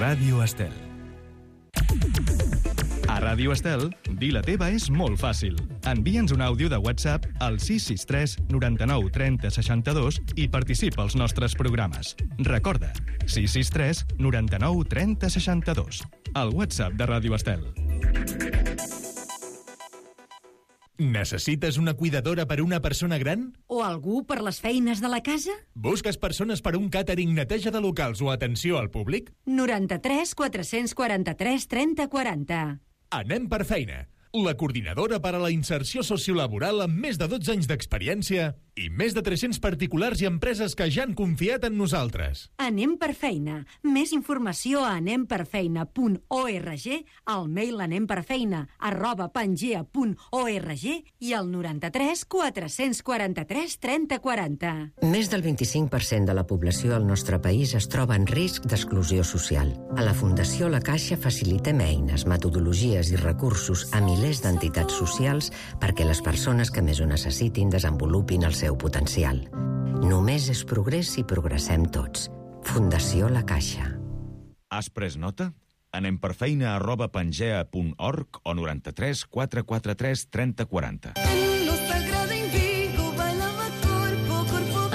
Ràdio Estel. A Ràdio Estel, dir la teva és molt fàcil. Envia'ns un àudio de WhatsApp al 663 99 30 62 i participa als nostres programes. Recorda, 663 99 30 62. El WhatsApp de Ràdio Estel. Necessites una cuidadora per una persona gran? O algú per les feines de la casa? Busques persones per un càtering, neteja de locals o atenció al públic? 93 443 30 40. Anem per feina. La coordinadora per a la inserció sociolaboral amb més de 12 anys d'experiència i més de 300 particulars i empreses que ja han confiat en nosaltres. Anem per feina. Més informació a anemperfeina.org, al mail anemperfeina@pangea.org i al 93 443 30 40. Més del 25% de la població al nostre país es troba en risc d'exclusió social. A la Fundació La Caixa facilitem eines, metodologies i recursos a milers d'entitats socials perquè les persones que més ho necessitin desenvolupin el seu potencial. Només és progrés si progressem tots. Fundació La Caixa. Has pres nota? Anem per feina@pangea.org o 93 443 30 40.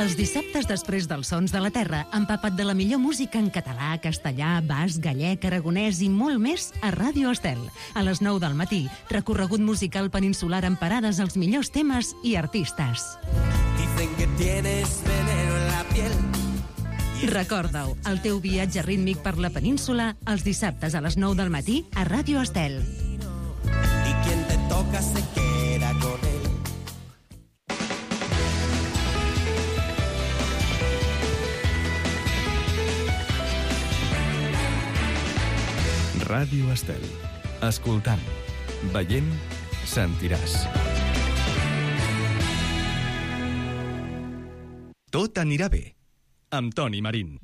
Els dissabtes després dels Sons de la Terra, empapat de la millor música en català, castellà, basc, gallec, aragonès i molt més a Ràdio Estel. A les 9 del matí, recorregut musical peninsular amb parades als millors temes i artistes. Recorda-ho, el teu viatge rítmic per la península, els dissabtes a les 9 del matí a Ràdio Estel. Y quien te toca se queda con él. Ràdio Estel. Escoltant, veient, sentiràs. Tot anirà bé. Amb Toni Marín.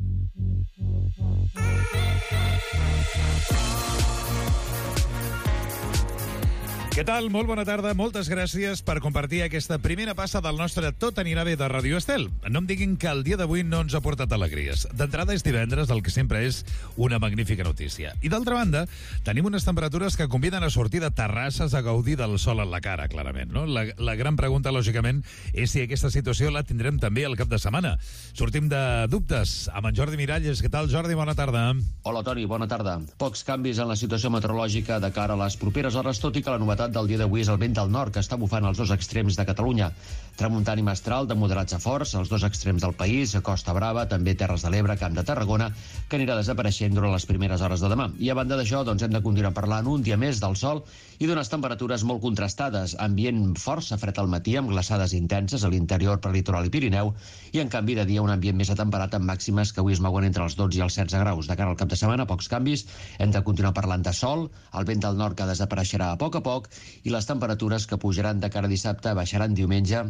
Què tal? Molt bona tarda. Moltes gràcies per compartir aquesta primera passa del nostre Tot anirà bé de Ràdio Estel. No em diguin que el dia d'avui no ens ha portat alegries. D'entrada és divendres, el que sempre és una magnífica notícia. I d'altra banda, tenim unes temperatures que conviden a sortir de terrasses a gaudir del sol en la cara, clarament, no? La gran pregunta, lògicament, és si aquesta situació la tindrem també al cap de setmana. Sortim de dubtes amb en Jordi Miralles. Què tal, Jordi? Bona tarda. Hola, Toni. Bona tarda. Pocs canvis en la situació meteorològica de cara a les properes hores, tot i que la novetat del dia d'avui és el vent del nord que està bufant als dos extrems de Catalunya. Tramuntana i mestral de moderats a forts als dos extrems del país, a Costa Brava, també Terres de l'Ebre, Camp de Tarragona, que anirà desapareixent durant les primeres hores de demà. I a banda d'això, doncs, hem de continuar parlant un dia més del sol i d'unes temperatures molt contrastades, ambient força fred al matí amb glaçades intenses a l'interior, prelitoral i Pirineu, i en canvi de dia un ambient més atemperat amb màximes que avui es mouen entre els 12 i els 16 graus. De cara al cap de setmana, pocs canvis, hem de continuar parlant de sol, el vent del nord que desapareixerà a poc i les temperatures que pujaran de cara a dissabte baixaran diumenge,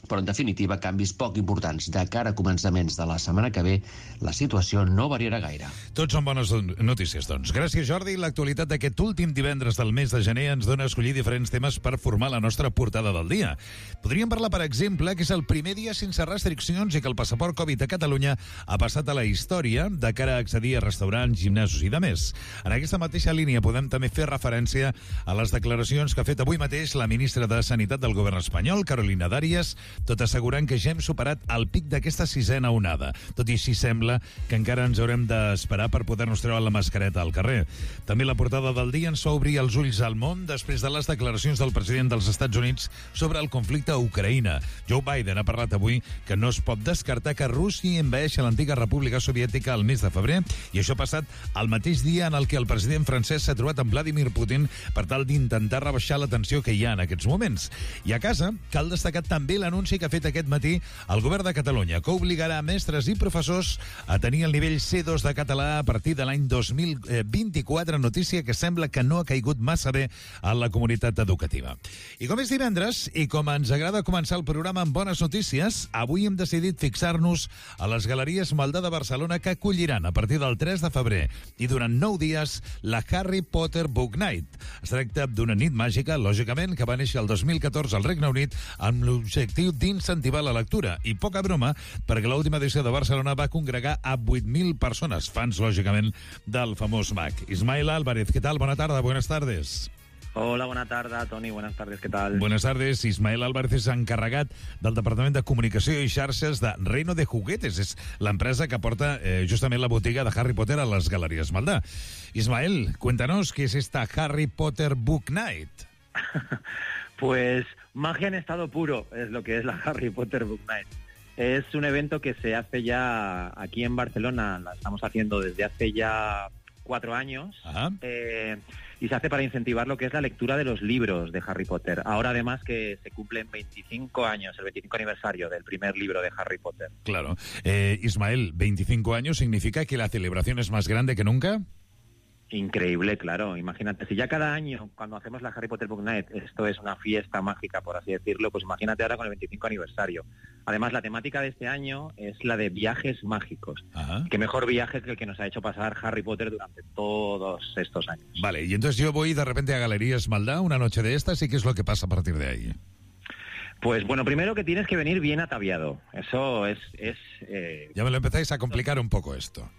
però en definitiva canvis poc importants. De cara a començaments de la setmana que ve, la situació no variarà gaire. Tots són bones notícies, doncs. Gràcies, Jordi. L'actualitat d'aquest últim divendres del mes de gener ens dona a escollir diferents temes per formar la nostra portada del dia. Podríem parlar, per exemple, que és el primer dia sense restriccions i que el passaport Covid a Catalunya ha passat a la història de cara a accedir a restaurants, gimnasos i de més. En aquesta mateixa línia podem també fer referència a les declaracions que ha fet avui mateix la ministra de Sanitat del govern espanyol, Carolina Darias, tot assegurant que ja hem superat el pic d'aquesta sisena onada. Tot i així sembla que encara ens haurem d'esperar per poder-nos treure la mascareta al carrer. També la portada del dia ens fa obrir els ulls al món després de les declaracions del president dels Estats Units sobre el conflicte a Ucraïna. Joe Biden ha parlat avui que no es pot descartar que Rússia envaeixi l'antiga República Soviètica al mes de febrer, i això ha passat el mateix dia en el que el president francès s'ha trobat amb Vladimir Putin per tal d'intentar rebaixar la tensió que hi ha en aquests moments. I a casa cal destacar també l'anunci que ha fet aquest matí el govern de Catalunya, que obligarà mestres i professors a tenir el nivell C2 de català a partir de l'any 2024, notícia que sembla que no ha caigut massa bé a la comunitat educativa. I com és divendres, i com ens agrada començar el programa amb bones notícies, avui hem decidit fixar-nos a les Galeries Maldà de Barcelona, que acolliran a partir del 3 de febrer i durant 9 dies la Harry Potter Book Night. Es tracta d'una nit màgica, lògicament, que va néixer el 2014 al Regne Unit amb l'objectiu motiu d'incentivar la lectura. I poca broma, perquè l'última edició de Barcelona va congregar a 8.000 persones, fans, lògicament, del famós mag. Ismael Álvarez, ¿qué tal? Buenas tardes, buenas tardes. Hola, bona tarda, Toni, buenas tardes, ¿qué tal? Buenas tardes. Ismael Álvarez és encarregat del Departament de Comunicació i Xarxes de Reino de Juguetes. És l'empresa que porta justament la botiga de Harry Potter a les Galeries Maldà. Ismael, cuéntanos, ¿qué es esta Harry Potter Book Night? Pues magia en estado puro es lo que es la Harry Potter Book Night. Es un evento que se hace ya aquí en Barcelona, la estamos haciendo desde hace ya 4 años. Y se hace para incentivar lo que es la lectura de los libros de Harry Potter. Ahora además que se cumplen 25 años, el 25 aniversario del primer libro de Harry Potter. Claro. Ismael, 25 años significa que la celebración es más grande que nunca. Increíble, claro. Imagínate, si ya cada año, cuando hacemos la Harry Potter Book Night, esto es una fiesta mágica, por así decirlo, pues imagínate ahora con el 25 aniversario. Además, la temática de este año es la de viajes mágicos. Qué mejor viaje que el que nos ha hecho pasar Harry Potter durante todos estos años. Vale, y entonces yo voy de repente a Galerías Maldá una noche de estas, ¿y qué es lo que pasa a partir de ahí? Pues bueno, primero que tienes que venir bien ataviado. Eso es Ya me lo empezáis a complicar un poco esto.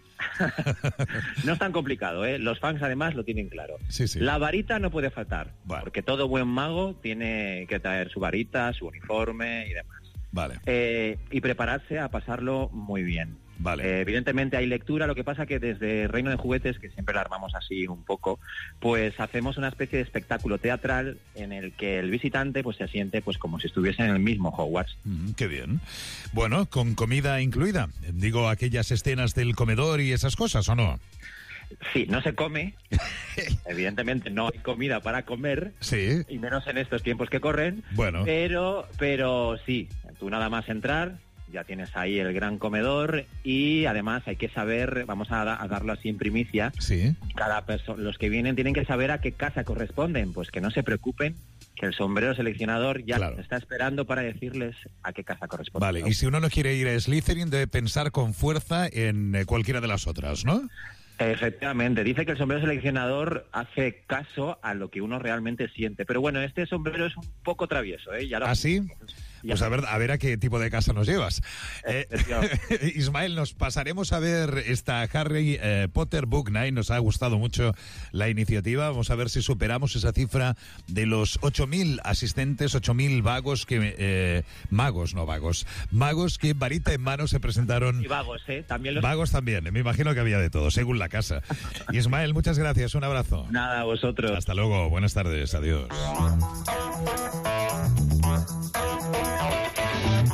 No es tan complicado, ¿eh? Los fans además lo tienen claro. Sí, sí. La varita no puede faltar, porque todo buen mago tiene que traer su varita, su uniforme y demás. Vale. Y prepararse a pasarlo muy bien. Vale. Evidentemente hay lectura, lo que pasa que desde Reino de Juguetes, que siempre la armamos así un poco, pues hacemos una especie de espectáculo teatral en el que el visitante pues se siente pues como si estuviese en el mismo Hogwarts. Qué bien. Bueno, con comida incluida. Digo, aquellas escenas del comedor y esas cosas, ¿o no? Sí, no se come. Evidentemente no hay comida para comer. Sí. Y menos en estos tiempos que corren. Bueno. Pero sí, tú nada más entrar, ya tienes ahí el gran comedor y además hay que saber, vamos a darlo así en primicia, sí. Los que vienen tienen que saber a qué casa corresponden, pues que no se preocupen, que el sombrero seleccionador ya está esperando para decirles a qué casa corresponde. Vale, y si uno no quiere ir a Slytherin, debe pensar con fuerza en cualquiera de las otras, ¿no? Efectivamente, dice que el sombrero seleccionador hace caso a lo que uno realmente siente, pero bueno, este sombrero es un poco travieso, ¿eh? ¿Ah, sí? Pues a ver a qué tipo de casa nos llevas. Ismael, nos pasaremos a ver esta Harry Potter Book Night. Nos ha gustado mucho la iniciativa. Vamos a ver si superamos esa cifra de los 8.000 asistentes, 8.000 vagos que... magos que varita en mano se presentaron. Y vagos, ¿eh? También Vagos también. Me imagino que había de todo, según la casa. Ismael, muchas gracias. Un abrazo. Nada, a vosotros. Hasta luego. Buenas tardes. Adiós.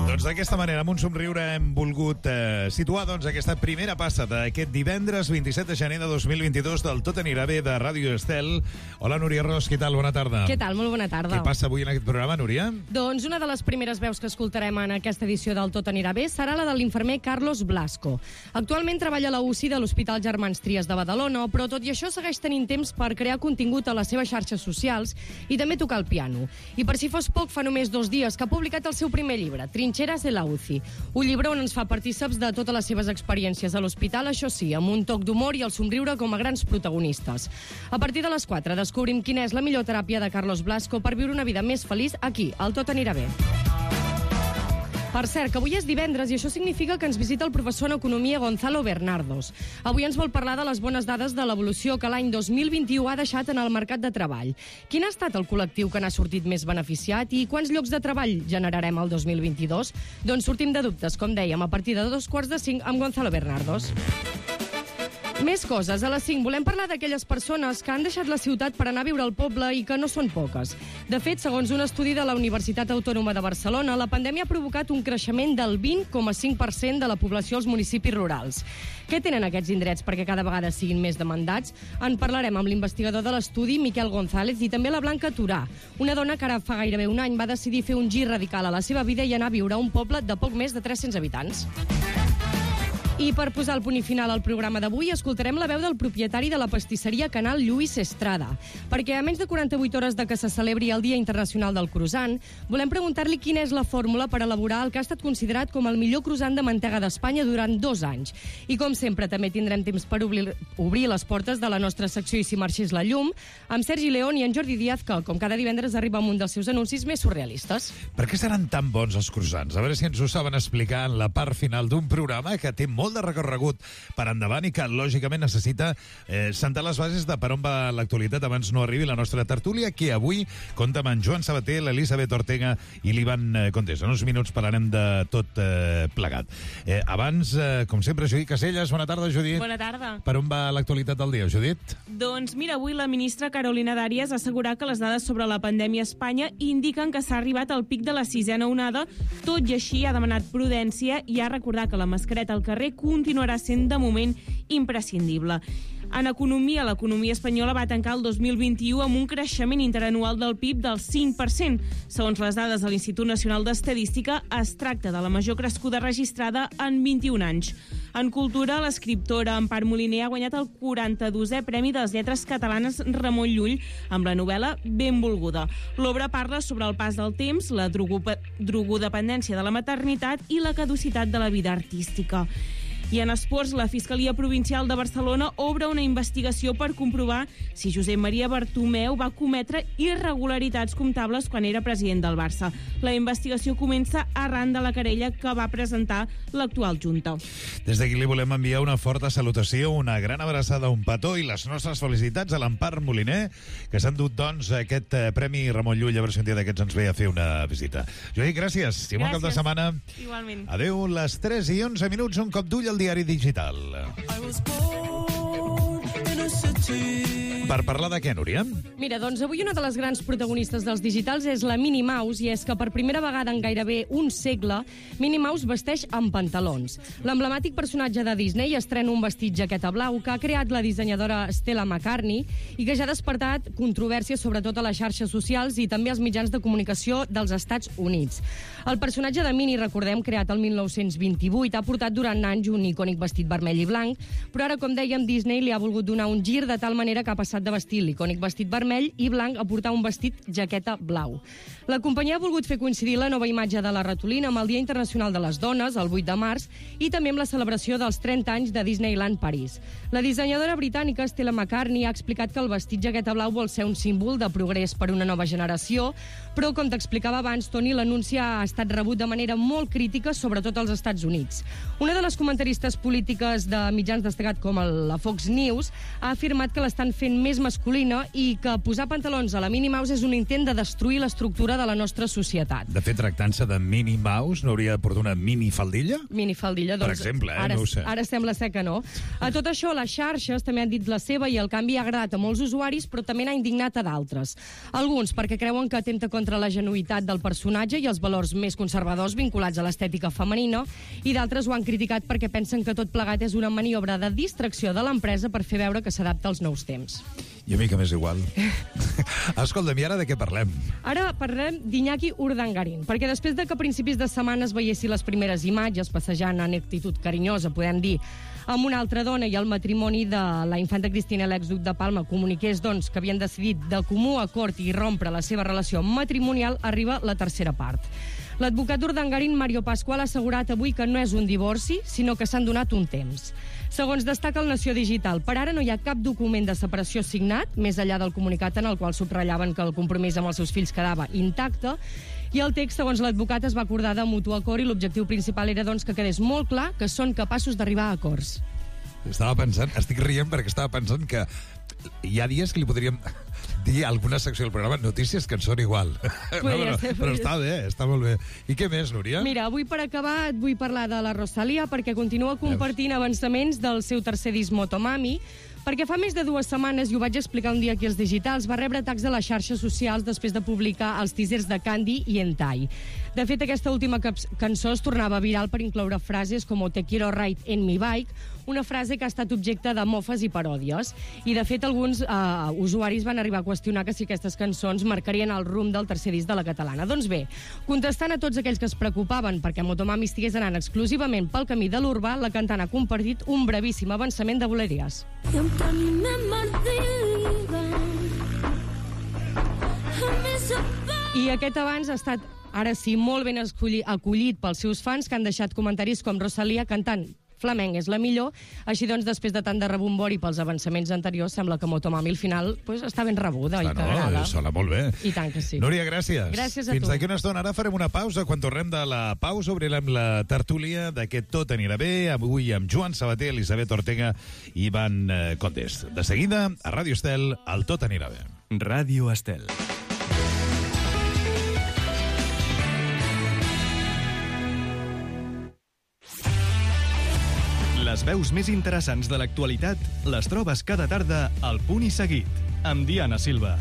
Doncs d'aquesta manera, amb un somriure, hem volgut situar aquesta primera passa d'aquest divendres 27 de gener de 2022 del Tot anirà bé de Ràdio Estel. Hola, Núria Ros, què tal? Bona tarda. Què tal? Molt bona tarda. Què passa avui en aquest programa, Núria? Doncs una de les primeres veus que escoltarem en aquesta edició del Tot anirà bé serà la de l'infermer Carlos Blasco. Actualment treballa a la UCI de l'Hospital Germans Trias de Badalona, però tot i això segueix tenint temps per crear contingut a les seves xarxes socials i també tocar el piano. I per si fos poc, fa només 2 dies que ha publicat el seu primer llibre, Trincheras de la UCI. Un llibre on ens fa partíceps de totes les seves experiències a l'hospital, això sí, amb un toc d'humor i el somriure com a grans protagonistes. A partir de les 4 descobrim quina és la millor teràpia de Carlos Blasco per viure una vida més feliç aquí, al Tot anirà bé. Per cert, que avui és divendres i això significa que ens visita el professor en Economia Gonzalo Bernardos. Avui ens vol parlar de les bones dades de l'evolució que l'any 2021 ha deixat en el mercat de treball. Quin ha estat el col·lectiu que n'ha sortit més beneficiat i quants llocs de treball generarem el 2022? Doncs sortim de dubtes, com dèiem, a partir de 2:45 amb Gonzalo Bernardos. Més coses. A les 5 volem parlar d'aquelles persones que han deixat la ciutat per anar a viure al poble i que no són poques. De fet, segons un estudi de la Universitat Autònoma de Barcelona, la pandèmia ha provocat un creixement del 20,5% de la població als municipis rurals. Què tenen aquests indrets perquè cada vegada siguin més demandats? En parlarem amb l'investigador de l'estudi, Miquel González, i també la Blanca Turà, una dona que ara fa gairebé un any va decidir fer un gir radical a la seva vida i anar a viure a un poble de poc més de 300 habitants. I per posar el punt i final al programa d'avui, escoltarem la veu del propietari de la pastisseria Canal, Lluís Estrada. Perquè a menys de 48 hores de que se celebri el Dia Internacional del Croissant, volem preguntar-li quina és la fórmula per elaborar el que ha estat considerat com el millor croissant de mantega d'Espanya durant 2 anys. I com sempre, també tindrem temps per obrir les portes de la nostra secció I si marxés la llum, amb Sergi León i en Jordi Díaz, que, com cada divendres, arriba amb un dels seus anuncis més surrealistes. Per què seran tan bons els croissants? A veure si ens ho saben explicar en la part final d'un programa que té molt de recorregut per endavant i que, lògicament, necessita sentar les bases de per on va l'actualitat abans no arribi la nostra tertúlia, que avui compta amb en Joan Sabater, l'Elisabet Ortega i l'Ivan Contés. En uns minuts parlarem de tot plegat. Abans, com sempre, Judit Caselles. Bona tarda, Judit. Bona tarda. Per on va l'actualitat del dia, Judit? Doncs mira, avui la ministra Carolina Dàries ha assegurat que les dades sobre la pandèmia a Espanya indiquen que s'ha arribat al pic de la 6ª onada. Tot i així, ha demanat prudència i ha recordat que la mascareta al carrer continuarà sent, de moment, imprescindible. En economia, l'economia espanyola va tancar el 2021 amb un creixement interanual del PIB del 5%. Segons les dades de l'Institut Nacional d'Estadística, es tracta de la major crescuda registrada en 21 anys. En cultura, l'escriptora Empar Moliner ha guanyat el 42è Premi de les Lletres Catalanes Ramon Llull amb la novel·la Benvolguda. L'obra parla sobre el pas del temps, la drogodependència de la maternitat i la caducitat de la vida artística. I en esports, la Fiscalia Provincial de Barcelona obre una investigació per comprovar si Josep Maria Bartomeu va cometre irregularitats comptables quan era president del Barça. La investigació comença arran de la querella que va presentar l'actual Junta. Des d'aquí li volem enviar una forta salutació, una gran abraçada, un petó i les nostres felicitats a l'Empar Moliner, que s'han dut, doncs, aquest Premi Ramon Llull, a veure si un dia d'aquests ens ve a fer una visita. Judit, gràcies. I bon cap de setmana. Igualment. Adéu, les 3:11, un cop d'ull al diari digital. Per parlar de què, Núria? Mira, doncs avui una de les grans protagonistes dels digitals és la Minnie Mouse, i és que per primera vegada en gairebé un segle, Minnie Mouse vesteix amb pantalons. L'emblemàtic personatge de Disney estrena un vestit jaqueta blau que ha creat la dissenyadora Stella McCartney i que ja ha despertat controvèrsia sobretot a les xarxes socials i també als mitjans de comunicació dels Estats Units. El personatge de Minnie, recordem, creat el 1928, ha portat durant anys un icònic vestit vermell i blanc, però ara, com dèiem, Disney li ha volgut donar un gir de tal manera que ha passat de vestir l'icònic vestit vermell i blanc a portar un vestit jaqueta blau. La companyia ha volgut fer coincidir la nova imatge de la ratolina amb el Dia Internacional de les Dones, el 8 de març, i també amb la celebració dels 30 anys de Disneyland París. La dissenyadora britànica Stella McCartney ha explicat que el vestit jaqueta blau vol ser un símbol de progrés per una nova generació, però, com t'explicava abans, Toni, l'anunci ha estat rebut de manera molt crítica, sobretot als Estats Units. Una de les comentaristes polítiques de mitjans destacats com la Fox News ha afirmat que l'estan fent més masculina i que posar pantalons a la Minnie Mouse és un intent de destruir l'estructura de la nostra societat. De fet, tractant-se de Minnie Mouse, no hauria de portar una mini faldilla? Mini faldilla, doncs... Per exemple, ara, no ho sé. Ara sembla ser que no. A tot això, les xarxes també han dit la seva i el canvi ha agradat a molts usuaris, però també n'ha indignat a d'altres. Alguns perquè creuen que atempta contra la genuïtat del personatge i els valors més conservadors vinculats a l'estètica femenina, i d'altres ho han criticat perquè pensen que tot plegat és una maniobra de distracció de l'empresa per fer veure que s'adapta als nous temps. I a mi que m'és igual. Escolta'm, i ara de què parlem? Ara parlem d'Iñaki Urdangarín, perquè després de que a principis de setmana es veiessin les primeres imatges passejant en actitud carinyosa, podem dir, amb una altra dona i el matrimoni de la infanta Cristina i l'exduc de Palma comuniqués, doncs, que havien decidit de comú acord i rompre la seva relació matrimonial, arriba la tercera part. L'advocat Urdangarín, Mario Pascual, ha assegurat avui que no és un divorci, sinó que s'han donat un temps. Segons destaca el Nació Digital, per ara no hi ha cap document de separació signat, més enllà del comunicat en el qual subratllaven que el compromís amb els seus fills quedava intacte, i el text, segons l'advocat, es va acordar de mutu acord i l'objectiu principal era, doncs, que quedés molt clar que són capaços d'arribar a acords. Estic rient perquè estava pensant que hi ha dies que li podríem dir a alguna secció del programa notícies que en són igual. Però està bé, està molt bé. I què més, Núria? Mira, avui per acabar et vull parlar de la Rosalía perquè continua compartint avançaments del seu tercer disc Motomami, perquè fa més de 2 setmanes, i ho vaig explicar un dia aquí als digitals, va rebre atacs a les xarxes socials després de publicar els teasers de Candy i Hentai. De fet, aquesta última cançó es tornava viral per incloure frases com "Te quiero ride en mi bike", una frase que ha estat objecte de mofes i paròdies. I, de fet, alguns usuaris van arribar arribar a qüestionar que si aquestes cançons marcarien el rumb del tercer disc de la catalana. Doncs bé, contestant a tots aquells que es preocupaven perquè Motomami estigués anant exclusivament pel camí de l'urbà, la cantant ha compartit un brevíssim avançament de Boleries. I aquest avanç ha estat, ara sí, molt ben acollit pels seus fans, que han deixat comentaris com Rosalía cantant flamenc és la millor. Així doncs, després de tant de rebombori pels avançaments anteriors, sembla que Motomami al final està ben rebuda i que agrada. Sona molt bé. I tant que sí. Núria, gràcies. Gràcies a tu. Fins d'aquí una estona. Ara farem una pausa. Quan tornem de la pausa obrirem la tertúlia d'aquest Tot anirà bé, avui amb Joan Sabater, Elisabet Ortega i Ivan Condes. De seguida, a Ràdio Estel, el Tot anirà bé. Ràdio Estel. Les veus més interessants de l'actualitat les trobes cada tarda al Punt i Seguit, amb Diana Silva.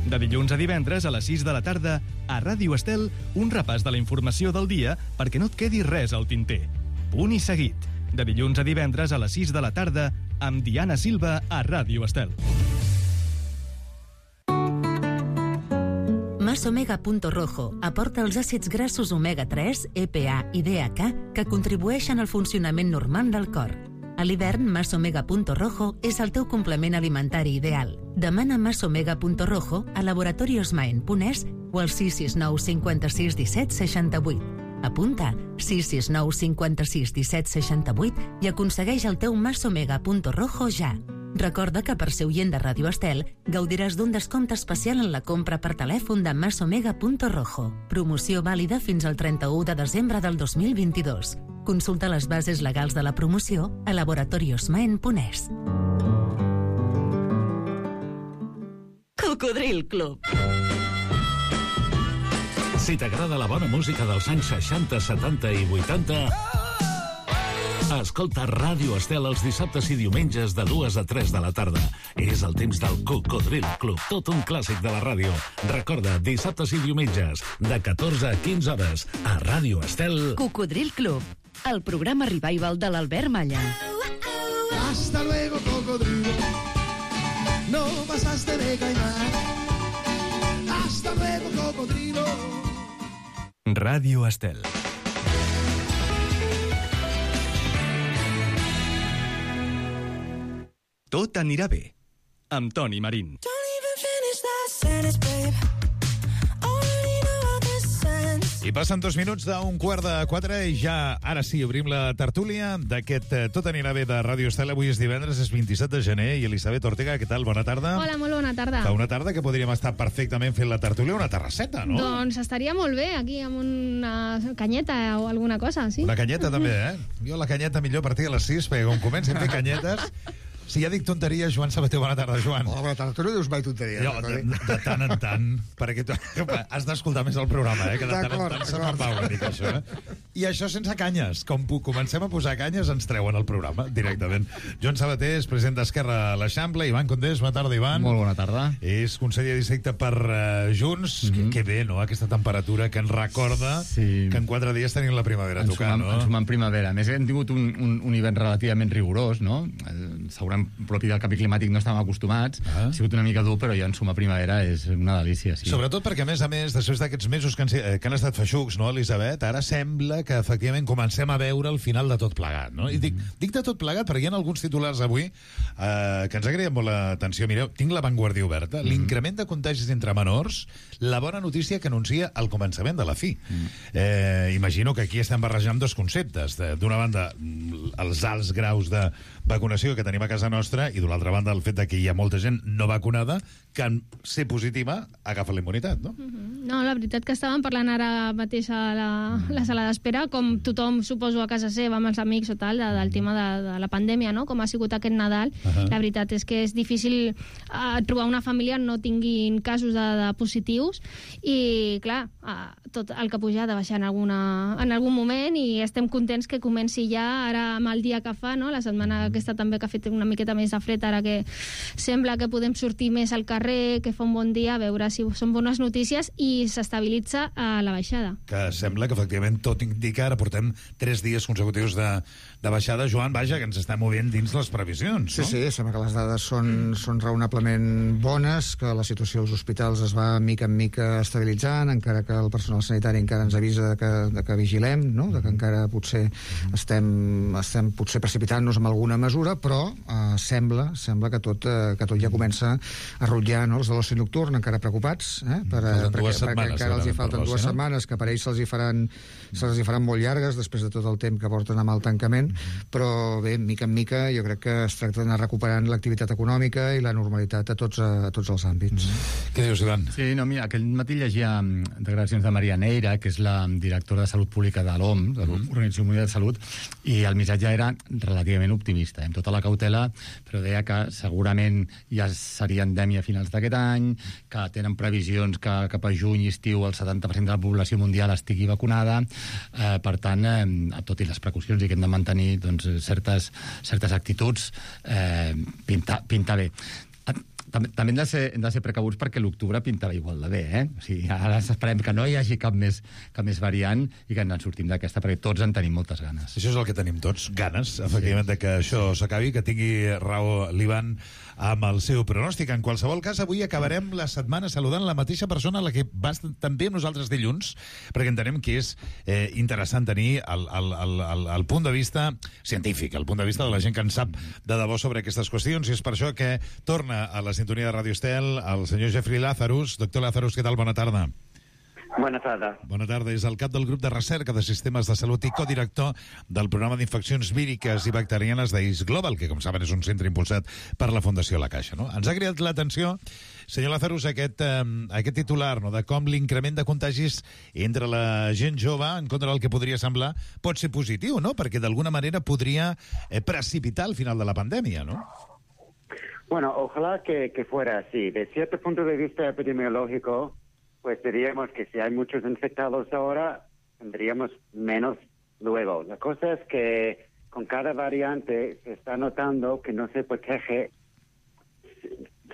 De dilluns a divendres a les 6 de la tarda, a Ràdio Estel, un repàs de la informació del dia perquè no et quedi res al tinter. Punt i Seguit. De dilluns a divendres a les 6 de la tarda, amb Diana Silva a Ràdio Estel. Masomega.rojo aporta els àcids grassos omega-3, EPA i DHA que contribueixen al funcionament normal del cor. A l'hivern, Masomega.rojo és el teu complement alimentari ideal. Demana Masomega.rojo a laboratoriosmaen.es o al 669 56 17 68. Apunta 669 56 17 68 i aconsegueix el teu Masomega.rojo ja. Recorda que per ser oient de Ràdio Estel gaudiràs d'un descompte especial en la compra per telèfon de Masomega.rojo. Promoció vàlida fins al 31 de desembre del 2022. Consulta les bases legals de la promoció a laboratoriosmaen.es. Cocodril Club. Si t'agrada la bona música dels anys 60, 70 i 80... escolta Ràdio Estel els dissabtes i diumenges de 2 a 3 de la tarda. És el temps del Cocodril Club, tot un clàssic de la ràdio. Recorda, dissabtes i diumenges, de 14 a 15 hores, a Ràdio Estel. Cocodril Club, el programa revival de l'Albert Malla. Hasta luego, cocodrilo. No pasaste de caimán. Hasta luego, cocodrilo. Ràdio Estel. Tot anirà bé, amb Toni Marín. I passen 2 minuts d'un 3:15 i ja, ara sí, obrim la tertúlia d'aquest Tot anirà bé de Ràdio Estel. Avui és divendres, és 27 de gener, i Elisabet Ortega, què tal? Bona tarda. Hola, molt bona tarda. Fa una tarda que podríem estar perfectament fent la tertúlia una terrasseta, no? Doncs estaria molt bé, aquí, amb una canyeta o alguna cosa, sí? Una canyeta també, Jo la canyeta millor a partir de les 6, perquè com comencem a fer canyetes... Si ja dic tonteries, Joan Sabater, bona tarda, Joan. Hola, bona tarda. Tu no dius mai tonteries. Jo, de tant en tant, perquè tu has d'escoltar més el programa, que de tant en tant se me'n va una mica, això. I això sense canyes. Com comencem a posar canyes, ens treuen el programa, directament. Joan Sabater és president d'Esquerra a l'Eixample. Ivan Condés, bona tarda, Ivan. Molt bona tarda. És conseller de districte per Junts. Que bé, no?, aquesta temperatura que ens recorda que en 4 dies tenim la primavera tocant, no? Ens sumem primavera. A més, hem tingut un hivern relativament rigorós, no? Segurament propi del canvi climàtic no estàvem acostumats. Ha sigut una mica dur, però ja en suma primavera és una delícia, sí. Sobretot perquè, a més, després d'aquests mesos que han estat feixucs, no, Elisabet? Ara sembla que, efectivament, comencem a veure el final de tot plegat, no? I dic de tot plegat perquè hi ha alguns titulars avui que ens agraden molt l'atenció. Mireu, tinc La Vanguardia oberta. L'increment de contagis entre menors, la bona notícia que anuncia el començament de la fi. Imagino que aquí estem barrejant dos conceptes. D'una banda, els alts graus de vacunació que tenim a casa nostra, i d'una altra banda el fet de que hi ha molta gent no vacunada que en ser positiva agafa la immunitat, no? No, la veritat que estàvem parlant ara mateix a la sala d'espera, com tothom, suposo, a casa seva, amb els amics o tal, del tema de la pandèmia, no?, com ha sigut aquest Nadal. La veritat és que és difícil trobar una família on no tinguin casos de positius, i clar, tot el que puja ha de baixar en algun moment, i estem contents que comenci ja ara amb el dia que fa, no?, la setmana aquesta també que ha fet una miqueta més de fred, ara que sembla que podem sortir més al carrer, que fa un bon dia, a veure si són bones notícies i s'estabilitza a la baixada. Que sembla que efectivament tot indica, ara portem 3 dies consecutius de baixada. Joan, vaja, que ens estem movent dins les previsions, no? Sí, sembla que les dades són raonablement bones, que la situació als hospitals es va mica en mica estabilitzant, encara que el personal sanitari encara ens avisa de que vigilem, no? De que encara potser estem potser precipitant-nos amb alguna mesura, però sembla que tot ja comença a rutllar, no? Els de l'oci nocturn encara preocupats, perquè encara els hi falten 2 setmanes, que per ells se'ls hi faran molt llargues després de tot el temps que porten amb el tancament, però bé, mica en mica jo crec que es tracta d'anar recuperant l'activitat econòmica i la normalitat a tots els àmbits. Què dius, Ivan? Sí, no, mira, aquell matí llegia declaracions de Maria Neira, que és la directora de Salut Pública de l'OMS, de l'Organització Mundial de Salut, i el missatge era relativament optimista, amb tota la cautela, però deia que segurament ja seria endèmia a finals d'aquest any, que tenen previsions que cap a juny i estiu el 70% de la població mundial estigui vacunada. Per tant, tot i les precaucions i que hem de mantenir doncs, certes actituds, pinta bé. També hem de ser precabuts perquè l'octubre pintava igual de bé, O sigui, ara esperem que no hi hagi cap més variant i que ens en sortim d'aquesta, perquè tots en tenim moltes ganes. Això és el que tenim tots, ganes, efectivament, de que això s'acabi, que tingui raó l'Ivan amb el seu pronòstic. En qualsevol cas, avui acabarem la setmana saludant la mateixa persona a la que va també amb nosaltres dilluns, perquè entenem que és interessant tenir el punt de vista científic, el punt de vista de la gent que en sap de debò sobre aquestes qüestions, i és per això que torna a la sintonia de Ràdio Estel el senyor Jeffrey Lazarus. Doctor Lazarus, què tal? Bona tarda. Bona tarda. Bona tarda. És el cap del grup de recerca de sistemes de salut i codirector del programa d'infeccions víriques i bacterianes d'IS Global, que, com saben, és un centre impulsat per la Fundació La Caixa. No? Ens ha cridat l'atenció, senyor Lazarus, aquest titular, no?, de com l'increment de contagis entre la gent jove, en contra del que podria semblar, pot ser positiu, no? Perquè d'alguna manera podria precipitar el final de la pandèmia, no? Bueno, ojalá que fuera así. De cierto punto de vista epidemiológico, pues diríamos que si hay muchos infectados ahora, tendríamos menos luego. La cosa es que con cada variante se está notando que no se protege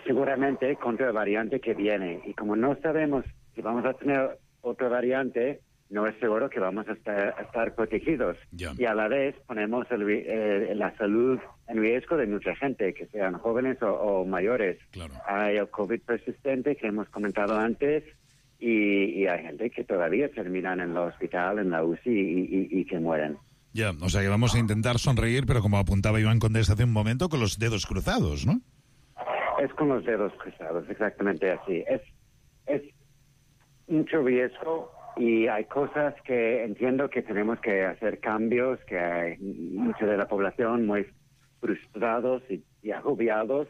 seguramente contra la variante que viene. Y como no sabemos si vamos a tener otra variante, no es seguro que vamos a estar protegidos. Yeah. Y a la vez ponemos la salud en riesgo de mucha gente, que sean jóvenes o mayores. Claro. Hay el COVID persistente que hemos comentado antes, y hay gente que todavía terminan en el hospital, en la UCI, y que mueren. Ya, o sea que vamos a intentar sonreír, pero como apuntaba Iván Condés hace un momento, con los dedos cruzados, ¿no? Es con los dedos cruzados, exactamente así. Es mucho riesgo, y hay cosas que entiendo que tenemos que hacer cambios, que hay mucha de la población muy frustrados y agobiados,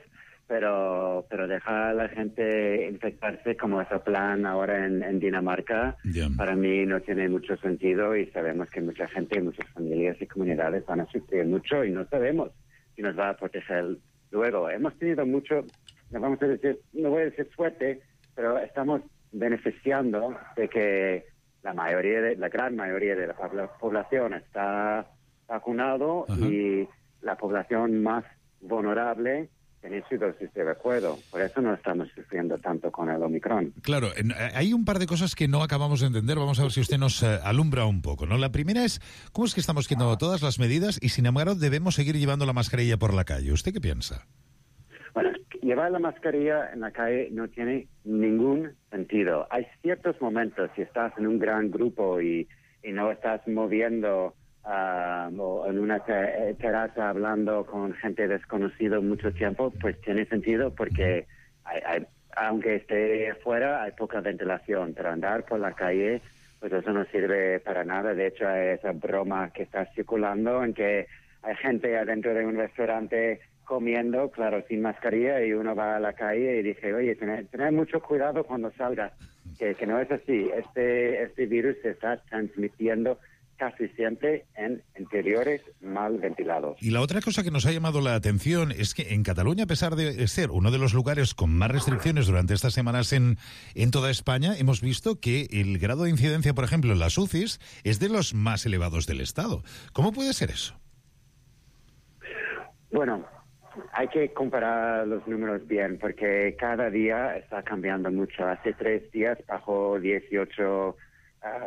pero dejar a la gente infectarse como es el plan ahora en Dinamarca, para mí no tiene mucho sentido, y sabemos que mucha gente, muchas familias y comunidades van a sufrir mucho, y no sabemos si nos va a proteger luego. Hemos tenido mucho, no voy a decir suerte, pero estamos beneficiando de que la gran mayoría de la población está vacunado. Ajá. Y la población más vulnerable tiene su dosis de recuerdo. Por eso no estamos sufriendo tanto con el Omicron. Claro, hay un par de cosas que no acabamos de entender. Vamos a ver si usted nos alumbra un poco, ¿no? La primera es, ¿cómo es que estamos quitando todas las medidas y, sin embargo, debemos seguir llevando la mascarilla por la calle? ¿Usted qué piensa? Bueno, llevar la mascarilla en la calle no tiene ningún sentido. Hay ciertos momentos, si estás en un gran grupo y no estás moviendo o en una terraza hablando con gente desconocida mucho tiempo, pues tiene sentido, porque aunque esté fuera hay poca ventilación, pero andar por la calle, pues eso no sirve para nada. De hecho, hay esa broma que está circulando en que hay gente adentro de un restaurante comiendo, claro, sin mascarilla, y uno va a la calle y dice, oye, tener mucho cuidado cuando salgas, que no es así. Este virus se está transmitiendo casi siempre en interiores mal ventilados. Y la otra cosa que nos ha llamado la atención es que en Cataluña, a pesar de ser uno de los lugares con más restricciones durante estas semanas en toda España, hemos visto que el grado de incidencia, por ejemplo, en las UCIs, es de los más elevados del Estado. ¿Cómo puede ser eso? Bueno, hay que comparar los números bien, porque cada día está cambiando mucho. Hace 3 días bajó 18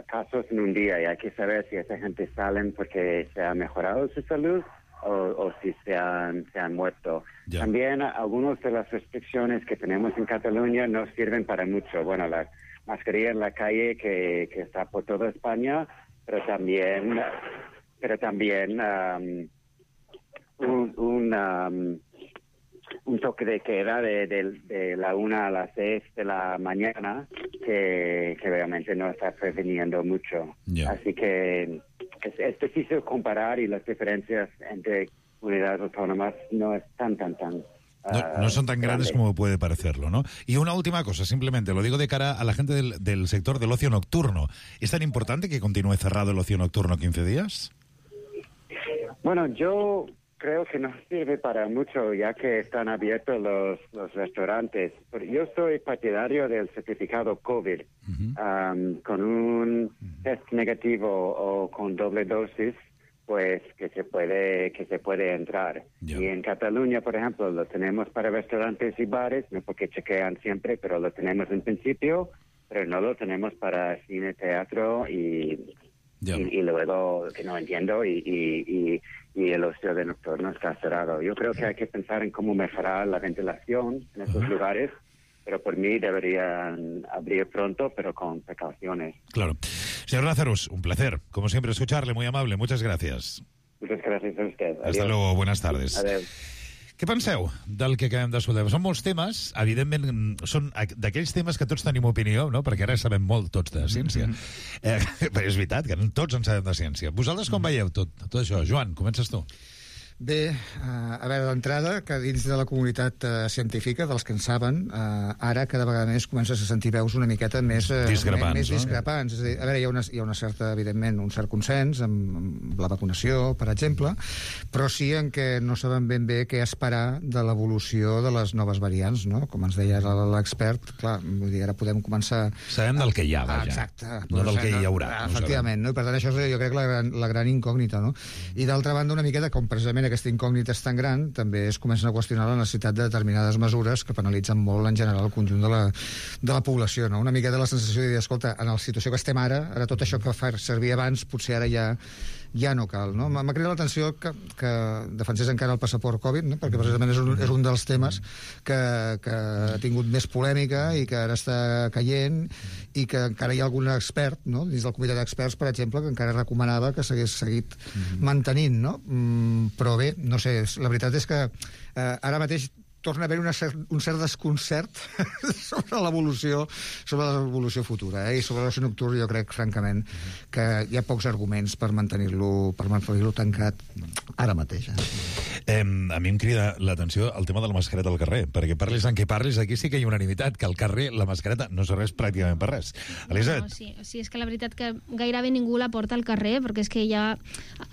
casos en un día y hay que saber si esa gente salen porque se ha mejorado su salud o si se han muerto. Ya. También algunas de las restricciones que tenemos en Cataluña no sirven para mucho. Bueno, la mascarilla en la calle que está por toda España, pero también un toque de queda de la 1 a las 6 de la mañana que realmente no está previniendo mucho. Yeah. Así que es difícil comparar y las diferencias entre comunidades autónomas no es tan no son tan grandes como puede parecerlo, ¿no? Y una última cosa, simplemente, lo digo de cara a la gente del sector del ocio nocturno. ¿Es tan importante que continúe cerrado el ocio nocturno 15 días? Bueno, yo creo que no sirve para mucho ya que están abiertos los restaurantes. Pero yo soy partidario del certificado COVID. Con un test negativo o con doble dosis, pues que se puede entrar. Y en Cataluña, por ejemplo, lo tenemos para restaurantes y bares, no porque chequean siempre, pero lo tenemos en principio, pero no lo tenemos para cine, teatro y luego, que no entiendo, y el ocio de nocturno está cerrado. Yo creo que hay que pensar en cómo mejorar la ventilación en esos lugares, pero por mí deberían abrir pronto, pero con precauciones. Claro. Señor Lazarus, un placer, como siempre, escucharle, muy amable. Muchas gracias. Muchas gracias a usted. Adiós. Hasta luego, buenas tardes. Adeu. Què penseu del que acabem d'escoltar? Són molts temes, evidentment, són d'aquells temes que tots tenim opinió, no? Perquè ara sabem molt tots de ciència. Però és veritat que tots en sabem de ciència. Vosaltres com veieu tot això? Joan, comences tu. Bé, a veure, d'entrada, que dins de la comunitat científica, dels que en saben, ara cada vegada més comences a sentir veus una miqueta més discrepants. És a dir, a veure, hi ha una certa, evidentment, un cert consens amb la vacunació, per exemple, però sí en què no saben ben bé què esperar de l'evolució de les noves variants, no? Com ens deia l'expert, clar, vull dir, ara podem començar... Sabem del que hi ha, vaja. Exacte. No del que hi haurà. Efectivament, no? I per tant, això és, jo crec, la gran incògnita, no? I d'altra banda, una miqueta, com precisament aquesta incògnita és tan gran, també es comencen a qüestionar la necessitat de determinades mesures que penalitzen molt en general el conjunt de la població, no? Una miqueta la sensació de dir, escolta, en la situació que estem ara tot això que fa servir abans potser ara ja no cal, no? M'ha cridat l'atenció que defensés encara el passaport Covid, no? Perquè precisament és un dels temes que ha tingut més polèmica i que ara està caient i que encara hi ha algun expert, no? Dins del comitè d'experts, per exemple, que encara recomanava que s'hagués seguit mantenint, no? Però bé, no sé, la veritat és que ara mateix torna a haver un cert desconcert sobre l'evolució futura, i sobre l'oci nocturn jo crec, francament, que hi ha pocs arguments per mantenir-lo tancat ara mateix. A mi em crida l'atenció el tema de la mascareta al carrer, perquè parlis en què parlis, aquí sí que hi ha unanimitat, que al carrer la mascareta no serveix pràcticament per res. Elisabet? Sí, és que la veritat que gairebé ningú la porta al carrer, perquè és que ja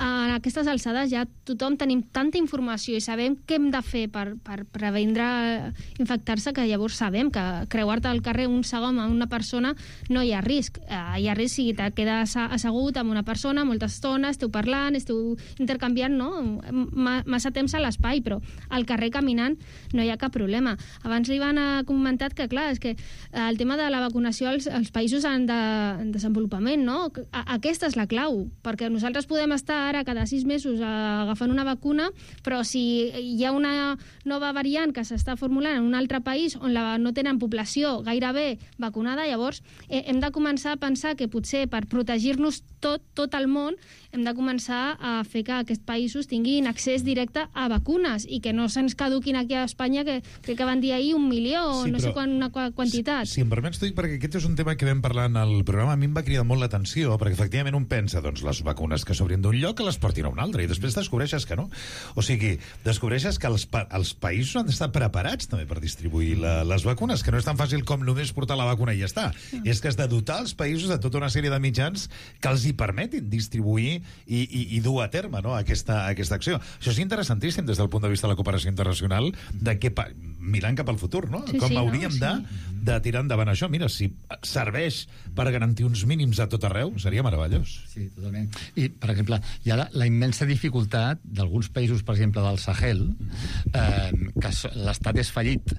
a aquestes alçades ja tothom tenim tanta informació i sabem què hem de fer per previndre infectar-se, que llavors sabem que creuar-te al carrer un segon amb una persona no hi ha risc. Hi ha risc si te quedes assegut amb una persona molta estona, esteu parlant, esteu intercanviant, no? Massa temps a l'espai, però al carrer caminant no hi ha cap problema. Abans li van comentat que, clar, és que el tema de la vacunació als països en desenvolupament, no? Aquesta és la clau, perquè nosaltres podem estar ara cada 6 mesos agafant una vacuna, però si hi ha una nova variant que s'està formulant en un altre país on no tenen població gairebé vacunada, llavors hem de començar a pensar que potser per protegir-nos tot el món hem de començar a fer que aquests països tinguin accés directe a vacunes i que no se'ns caduquin aquí a Espanya, que crec que van dir ahir 1 milió o no sé una quantitat. Si em permets, t'ho dic perquè aquest és un tema que vam parlar en el programa, a mi em va cridar molt l'atenció, perquè efectivament un pensa, doncs, les vacunes que s'obrin d'un lloc que les portin a un altre, i després descobreixes que no. O sigui, descobreixes que els països han d'estar preparats també per distribuir les vacunes, que no és tan fàcil com només portar la vacuna i ja està. És que has de dotar els països de tota una sèrie de mitjans que els hi permetin distribuir i dur a terme, no, aquesta acció. Això és interessantíssim des del punt de vista de la cooperació internacional, de que mirant cap al futur, no? Com hauríem de tirar endavant això. Mira, si serveix per garantir uns mínims a tot arreu, seria meravellós. Sí, totalment. I, per exemple, hi ha la immensa dificultat d'alguns països, per exemple, del Sahel, que l'estat és fallit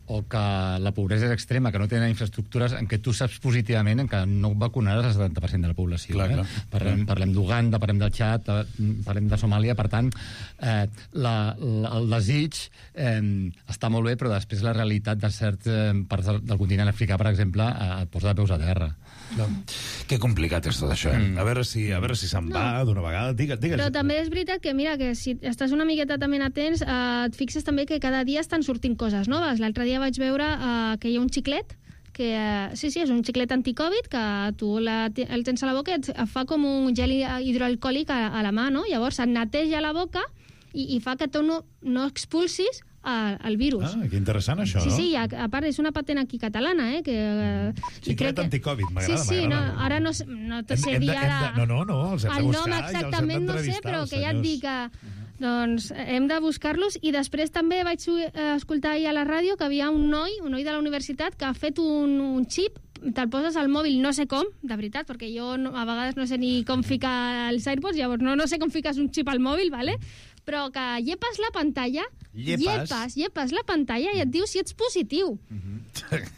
o que la pobresa és extrema, que no tenen infraestructures, en què tu saps positivament en què no vacunaràs el 70% de la població. Clar. Parlem d'Uganda, parlem del Txad, parlem de Somàlia, per tant, el desig està molt bé, però després la realitat de certs parts del continent africà, per exemple, et posa de peus a terra. Que complicat és tot això, A veure si se'n va d'una vegada. Digues. Però també és veritat que, mira, que si estàs una miqueta també atents, et fixes també que cada dia estan sortint coses noves. L'altre dia vaig veure que hi ha un xiclet que, sí, és un xiclet anticovid que tu el tens a la boca i et fa com un gel hidroalcohòlic a la mà, no? Llavors et neteja la boca i fa que tu no expulsis el virus. Que interessant això, no? Sí, a part és una patent aquí catalana, Xiclet anticovid, m'agrada. Sí, ara no te sé dir ara... No, els hem de buscar i els hem d'entrevistar. El nom exactament no sé, però que ja et dic que... Doncs hem de buscar-los, i després també vaig escoltar ahir a la ràdio que havia un noi de la universitat que ha fet un xip, te'l poses al mòbil, no sé com, de veritat, perquè jo a vegades no sé ni com ficar els AirPods, llavors no sé com fiques un xip al mòbil, vale? Però que llepes la pantalla, llepes la pantalla i et diu si ets positiu.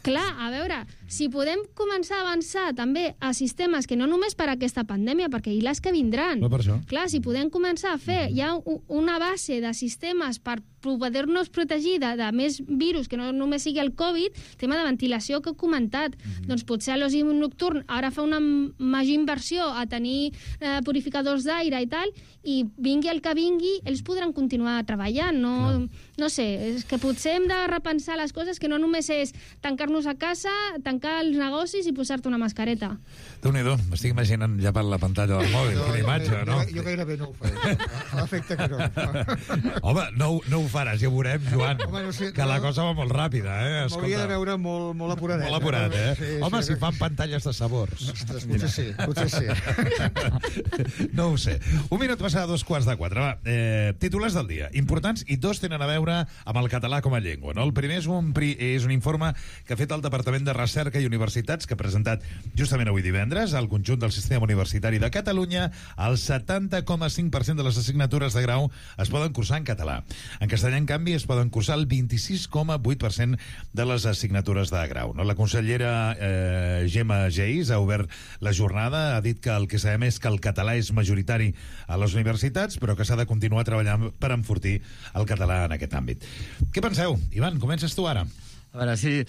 Clar, a veure, si podem començar a avançar també a sistemes que no només per aquesta pandèmia, perquè hi les que vindran. No, per això. Clar, si podem començar a fer ja una base de sistemes per poder-nos protegir de més virus, que no només sigui el Covid, tema de ventilació que he comentat, doncs potser a l'oci nocturn ara fa una major inversió a tenir purificadors d'aire i tal, i vingui el que vingui, ells podran continuar treballant, no sé, és que potser hem de repensar les coses, que no només és tancar-nos a casa, tancar els negocis i posar-te una mascareta. Déu-n'hi-do, m'estic imaginant ja per la pantalla del mòbil, quina imatge, no? Jo gairebé no ho faré, a l'efecte que no. Home, no ho faràs, ja ho veurem, Joan, que la cosa va molt ràpida, M'hauria de veure molt apuradet. Molt apurat, Home, si fan pantalles de sabors. Ostres, potser sí. No ho sé. Un minut passar a 3:45. Va, titulars del dia, importants, i dos tenen a veure amb el català com a llengua, no? El primer és un informe que ha fet el Departament de Recerca i Universitats, que ha presentat justament avui divendres al conjunt del sistema universitari de Catalunya. El 70,5% de les assignatures de grau es poden cursar en català. En castellà, en canvi, es poden cursar el 26,8% de les assignatures de grau, no? La consellera Gemma Geis ha obert la jornada, ha dit que el que sabem és que el català és majoritari a les universitats, però que s'ha de continuar treballant per enfortir el català en aquest àmbit. Què penseu? Ivan, comences tu ara. A veure, sí,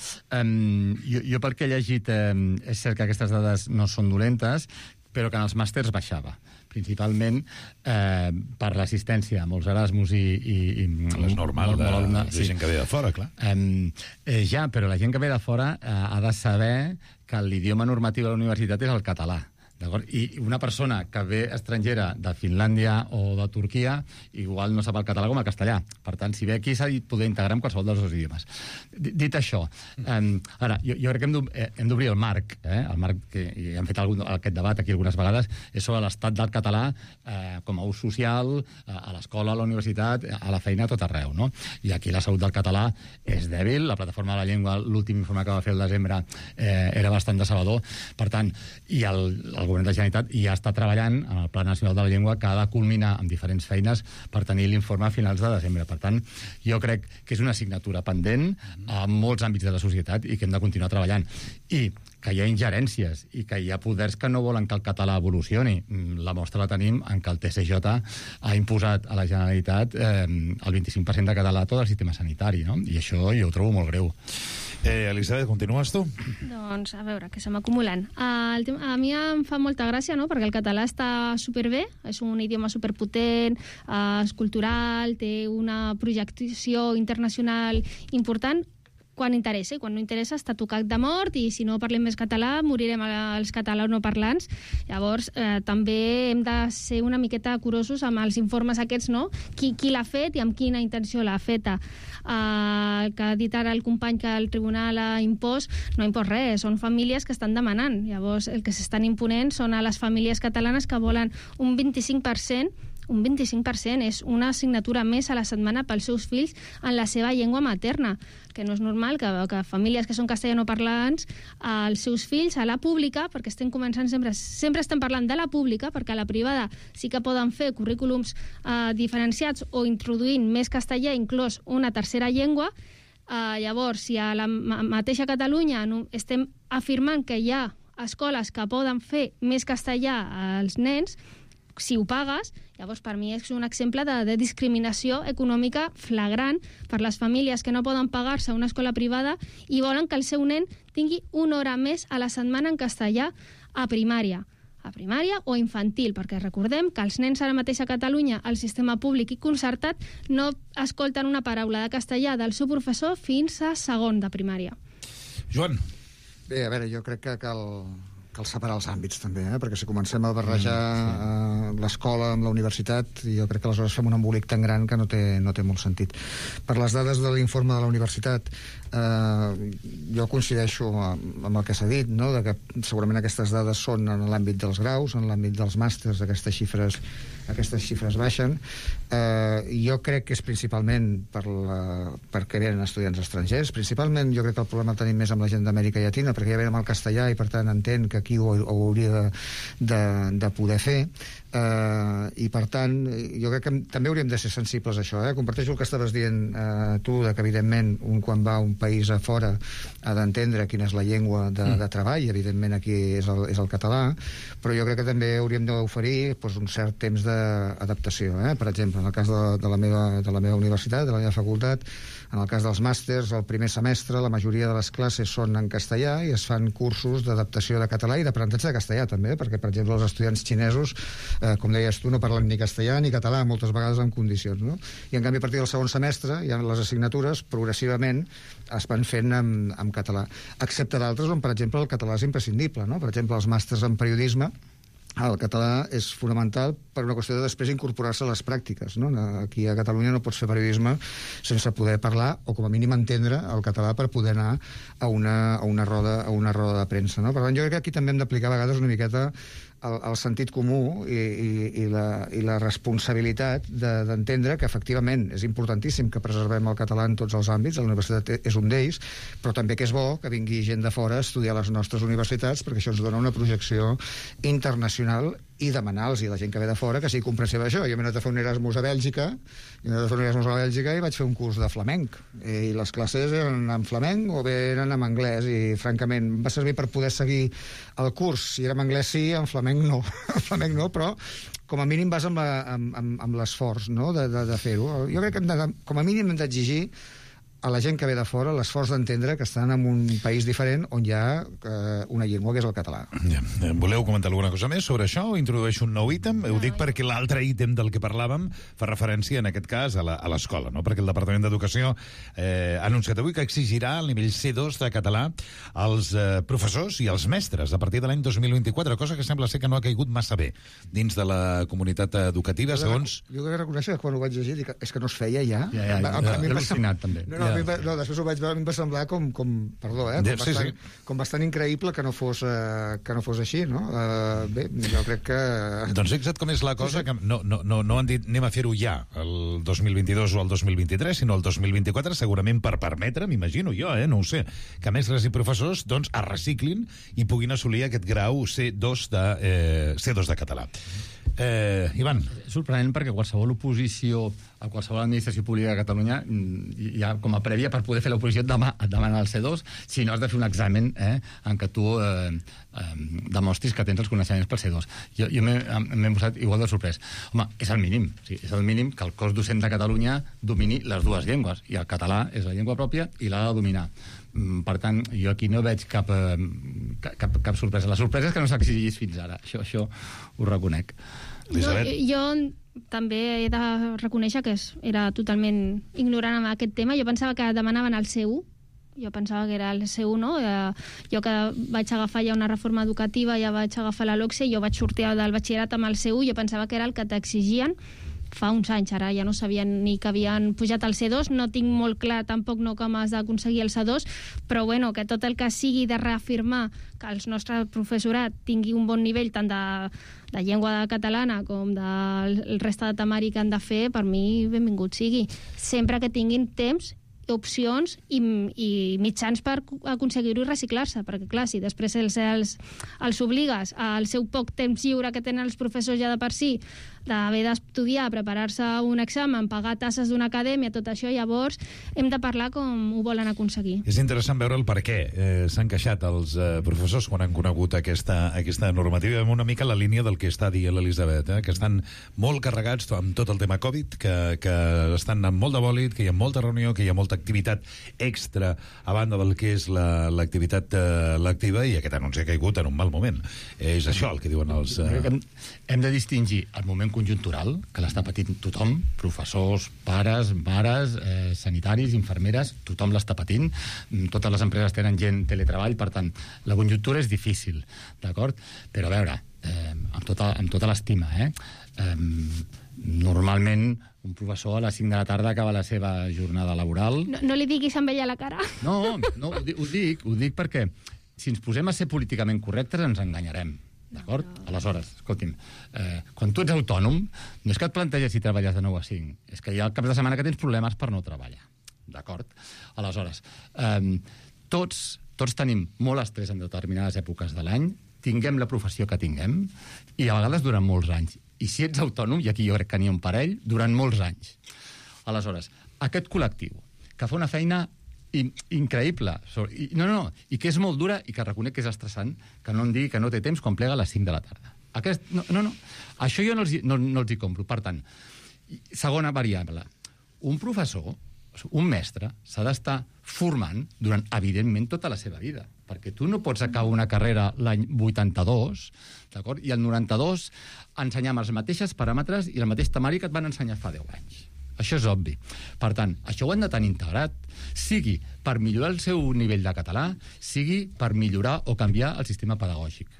jo pel que he llegit és cert que aquestes dades no són dolentes, però que en els màsters baixava, principalment per l'assistència a molts Erasmus i és normal, de gent que ve de fora, clar. Ja, però la gent que ve de fora ha de saber que l'idioma normatiu de la universitat és el català. I una persona que ve estrangera de Finlàndia o de Turquia igual no sap el català com el castellà. Per tant, si ve aquí s'ha de poder integrar en qualsevol dels dos idiomes. Dit això, ara, jo crec que hem d'obrir el marc. El marc, que hem fet aquest debat aquí algunes vegades, és sobre l'estat del català com a ús social, a l'escola, a la universitat, a la feina, a tot arreu, no? I aquí la salut del català és dèbil. La plataforma de la llengua, l'últim informe que va fer el desembre, era bastant decebedor. Per tant, i el govern de la Generalitat ja està treballant en el Pla Nacional de la Llengua, que ha de culminar amb diferents feines per tenir l'informe a finals de desembre. Per tant, jo crec que és una assignatura pendent a molts àmbits de la societat i que hem de continuar treballant. I que hi ha ingerències i que hi ha poders que no volen que el català evolucioni. La mostra la tenim en que el TCJ ha imposat a la Generalitat el 25% de català a tot el sistema sanitari, no? I això jo ho trobo molt greu. Elisabet, continues tu? Doncs, a veure, que se m'acumulen. A mi em fa molta gràcia, no?, perquè el català està superbé, és un idioma superpotent, és cultural, té una projecció internacional important, quan interessa, i quan no interessa està tocat de mort, i si no parlem més català morirem els catalanoparlants. Llavors també hem de ser una miqueta curosos amb els informes aquests, no? Qui l'ha fet i amb quina intenció l'ha feta. El que ha dit ara el company que el tribunal ha impost, no ha impost res, són famílies que estan demanant. Llavors el que s'estan imponent són a les famílies catalanes que volen un 25%. Un 25% és una assignatura més a la setmana pels seus fills en la seva llengua materna, que no és normal que famílies que són castellanoparlants, els seus fills a la pública, perquè estem començant sempre estem parlant de la pública, perquè a la privada sí que poden fer currículums diferenciats o introduint més castellà, inclús una tercera llengua, Llavors, si a la mateixa Catalunya estem afirmant que hi ha escoles que poden fer més castellà als nens, si ho pagues, llavors per mi és un exemple de discriminació econòmica flagrant per les famílies que no poden pagar-se una escola privada i volen que el seu nen tingui una hora més a la setmana en castellà a primària o infantil, perquè recordem que els nens ara mateix a Catalunya, al sistema públic i concertat, no escolten una paraula de castellà del seu professor fins a segon de primària. Joan. Bé, a veure, jo crec que cal separar els àmbits també, perquè si comencem a barrejar l'escola amb la universitat, jo crec que aleshores fem un embolic tan gran que no té molt sentit. Per les dades de l'informe de la universitat, jo coincideixo amb el que s'ha dit, no? De que segurament aquestes dades són en l'àmbit dels graus, en l'àmbit dels màsters, aquestes xifres baixen. Jo crec que és principalment perquè venen estudiants estrangers. Principalment jo crec que el problema el tenim més amb la gent d'Amèrica Llatina, perquè ja venen amb el castellà i per tant entén que aquí ho hauria de poder fer. I per tant jo crec que també hauríem de ser sensibles a això. Comparteixo el que estaves dient tu, que evidentment un quan va a un país a fora ha d'entendre quina és la llengua de treball, evidentment aquí és el català, però jo crec que també hauríem d'oferir un cert temps d'adaptació. Per exemple, en el cas de la meva universitat, de la meva facultat, en el cas dels màsters, el primer semestre la majoria de les classes són en castellà i es fan cursos d'adaptació de català i d'aprenentatge de castellà també, perquè per exemple els estudiants xinesos, com deies tu, no parlen ni castellà ni català moltes vegades en condicions, no? I en canvi a partir del segon semestre ja les assignatures progressivament es van fent en català, excepte d'altres on per exemple el català és imprescindible, no? Per exemple els màsters en periodisme, el català és fonamental per una qüestió de després incorporar-se a les pràctiques, no? Aquí a Catalunya no pots fer periodisme sense poder parlar o com a mínim entendre el català per poder anar a una roda de premsa, no? Per tant, jo crec que aquí també hem d'aplicar a vegades una miqueta el sentit comú i la responsabilitat d'entendre que efectivament és importantíssim que preservem el català en tots els àmbits, la universitat és un d'ells, però també que és bo que vingui gent de fora a estudiar a les nostres universitats perquè això ens dona una projecció internacional i demanar-los a la gent que ve de fora que sigui comprensiva d'això. Jo m'he anat a fer un Erasmus a Bèlgica i vaig fer un curs de flamenc i les classes eren en flamenc o bé eren en anglès i francament va servir per poder seguir el curs. Si era en anglès sí, en flamenc no. En flamenc no, però com a mínim vas amb l'esforç, no? de fer-ho. Jo crec que com a mínim hem d'exigir a la gent que ve de fora l'esforç d'entendre que estan en un país diferent on hi ha una llengua que és el català. Ja. Voleu comentar alguna cosa més sobre això o introdueixo un nou ítem? Ho dic perquè l'altre ítem del que parlàvem fa referència en aquest cas a l'escola, no? Perquè el Departament d'Educació ha anunciat avui que exigirà el nivell C2 de català als professors i als mestres a partir de l'any 2024, cosa que sembla ser que no ha caigut massa bé dins de la comunitat educativa, segons... Jo he de reconèixer que quan ho vaig llegir dic, és que no es feia ja. Ja, al·lucinat també. No, després ho vaig veure, em va semblar com bastant increïble que no fos així, no? Bé, jo crec que... Doncs fixa't com és la cosa, que no han dit anem a fer-ho ja el 2022 o el 2023, sinó el 2024, segurament per permetre, m'imagino jo, no ho sé, que mestres i professors doncs es reciclin i puguin assolir aquest grau C2 de català. Ivan. És sorprenent perquè qualsevol oposició a qualsevol administració pública de Catalunya ja com a prèvia per poder fer l'oposició et demana el C2, si no has de fer un examen en què tu demostris que tens els coneixements per C2. Jo m'he posat igual de sorprès. Home, és el mínim, és el mínim que el cos docent de Catalunya domini les dues llengües, i el català és la llengua pròpia i l'ha de dominar. Per tant, jo aquí no veig cap sorpresa. La sorpresa és que no s'exigís fins ara, això ho reconec. Jo també he de reconèixer que era totalment ignorant amb aquest tema. Jo pensava que demanaven el C1, jo pensava que era el C1, no? Jo que vaig agafar ja una reforma educativa, ja vaig agafar la LOCSE, jo vaig sortir del batxillerat amb el C1, jo pensava que era el que t'exigien fa uns anys, ara ja no sabien ni que havien pujat al C2, no tinc molt clar tampoc no com has d'aconseguir el C2, però bueno, que tot el que sigui de reafirmar que el nostre professorat tingui un bon nivell tant de llengua catalana com del resta de temari que han de fer, per mi benvingut sigui, sempre que tinguin temps opcions i mitjans per aconseguir-ho i reciclar-se, perquè clar, si després els obligues al seu poc temps lliure que tenen els professors ja de per si, d'haver d'estudiar, preparar-se un examen, pagar tasses d'una acadèmia, tot això, llavors hem de parlar com ho volen aconseguir. És interessant veure el per què s'han queixat els professors quan han conegut aquesta normativa, una mica la línia del que està dient l'Elisabet, que estan molt carregats amb tot el tema Covid, que estan amb molt de bòlit, que hi ha molta reunió, que hi ha molta activitat extra a banda del que és l'activitat lectiva, i aquest anunci ha caigut en un mal moment. És això el que diuen els... Hem de distingir el moment conjuntural, que l'està patint tothom, professors, pares, mares, sanitaris, infermeres, tothom l'està patint, totes les empreses tenen gent teletreball, per tant, la conjuntura és difícil, d'acord? Però a veure, amb tota l'estima, normalment un professor a les 5 de la tarda acaba la seva jornada laboral. No li diguis amb ella a la cara. No, ho dic perquè si ens posem a ser políticament correctes ens enganyarem. D'acord? Aleshores, escolti'm, quan tu ets autònom, no és que et planteges si treballes de 9 a 5, és que hi ha caps de setmana que tens problemes per no treballar. D'acord? Aleshores, tots tenim molt estrès en determinades èpoques de l'any, tinguem la professió que tinguem, i a vegades durant molts anys. I si ets autònom, i aquí jo crec que n'hi ha un parell, durant molts anys. Aleshores, aquest col·lectiu que fa una feina increïble, i que és molt dura i que reconec que és estressant, que no em digui que no té temps quan plega a les 5 de la tarda. Això jo no els hi compro. Per tant, segona variable, un professor, un mestre, s'ha d'estar formant durant, evidentment, tota la seva vida, perquè tu no pots acabar una carrera l'any 82, d'acord? I el 92 ensenyar amb els mateixos paràmetres i el mateix temari que et van ensenyar fa 10 anys. Això és obvi. Per tant, això ho han de tenir integrat, sigui per millorar el seu nivell de català, sigui per millorar o canviar el sistema pedagògic.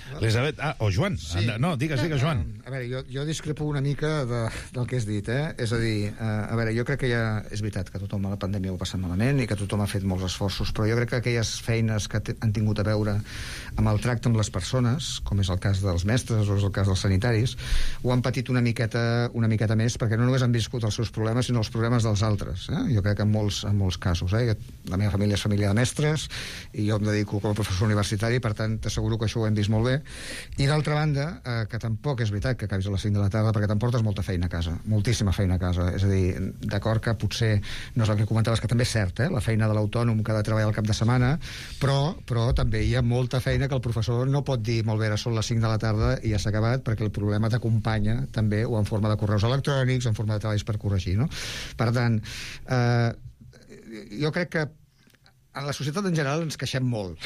Elisabet, o Joan. Sí. No, digues, Joan. A veure, jo discrepo una mica del que has dit, És a dir, a veure, jo crec que ja és veritat que tothom a la pandèmia ho ha passat malament i que tothom ha fet molts esforços, però jo crec que aquelles feines que han tingut a veure amb el tracte amb les persones, com és el cas dels mestres o és el cas dels sanitaris, ho han patit una miqueta més, perquè no només han viscut els seus problemes, sinó els problemes dels altres. Jo crec que en molts casos. La meva família és família de mestres i jo em dedico com a professor universitari, per tant, t'asseguro que això ho hem vist molt bé. I d'altra banda, que tampoc és veritat que acabis a les 5 de la tarda, perquè t'emportes molta feina a casa, moltíssima feina a casa. És a dir, d'acord que potser no és el que comentaves, que també és cert, la feina de l'autònom que ha de treballar al cap de setmana, però també hi ha molta feina que el professor no pot dir, molt bé, ara són les 5 de la tarda i ja s'ha acabat, perquè el problema t'acompanya també, o en forma de correus electrònics, en forma de treballs per corregir, no? Per tant, jo crec que en la societat en general ens queixem molt,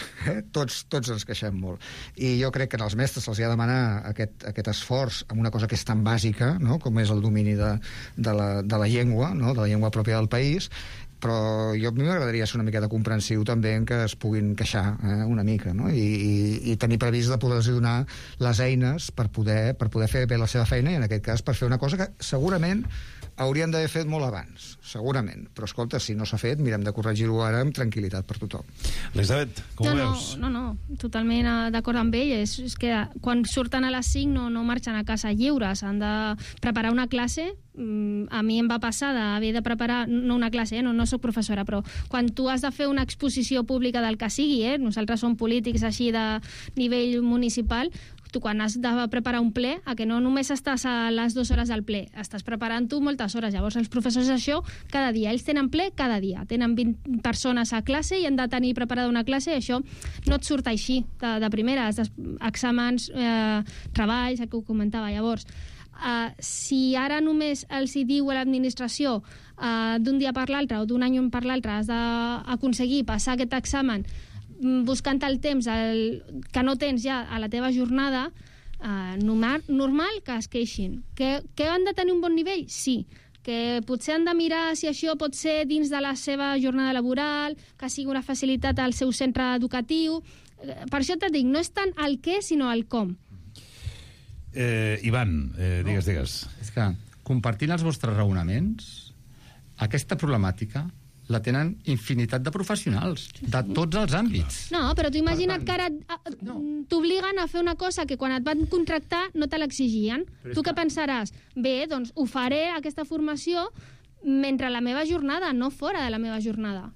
tots ens queixem molt, i jo crec que als mestres se'ls ha de demanar aquest esforç amb una cosa que és tan bàsica, no? Com és el domini de la llengua, no? De la llengua pròpia del país, però a mi m'agradaria ser una miqueta comprensiu també en que es puguin queixar una mica, no? I tenir previst de poder-los donar les eines per poder fer bé la seva feina, i en aquest cas per fer una cosa que segurament haurien d'haver fet molt abans, segurament. Però, escolta, si no s'ha fet, mirem de corregir-ho ara amb tranquil·litat per tothom. Elisabet, com ho veus? No, totalment d'acord amb ell. És que quan surten a les 5 no marxen a casa lliures, han de preparar una classe. A mi em va passar d'haver de preparar, no una classe, no soc professora, però quan tu has de fer una exposició pública del que sigui, nosaltres som polítics així de nivell municipal, tu quan has de preparar un ple, a que no només estàs a les 2 hores del ple, estàs preparant tu moltes hores. Llavors els professors això cada dia, ells tenen ple cada dia, tenen 20 persones a classe i han de tenir preparada una classe, i això no et surt així de primera, exàmens, treballs, el que ho comentava. Llavors, si ara només els hi diu a l'administració d'un dia per l'altre o d'un any per l'altre has d'aconseguir passar aquest examen buscant el temps que no tens ja a la teva jornada, normal que es queixin. Que han de tenir un bon nivell? Sí. Que potser han de mirar si això pot ser dins de la seva jornada laboral, que sigui una facilitat al seu centre educatiu. Per això t'ho dic, no és tant el què, sinó el com. Ivan, digues. És que, compartint els vostres raonaments, aquesta problemàtica la tenen infinitat de professionals, de tots els àmbits. No, però tu imagina't que ara t'obliguen a fer una cosa que quan et van contractar no te l'exigien. Tu què pensaràs? Bé, doncs ho faré, aquesta formació, mentre la meva jornada, no fora de la meva jornada.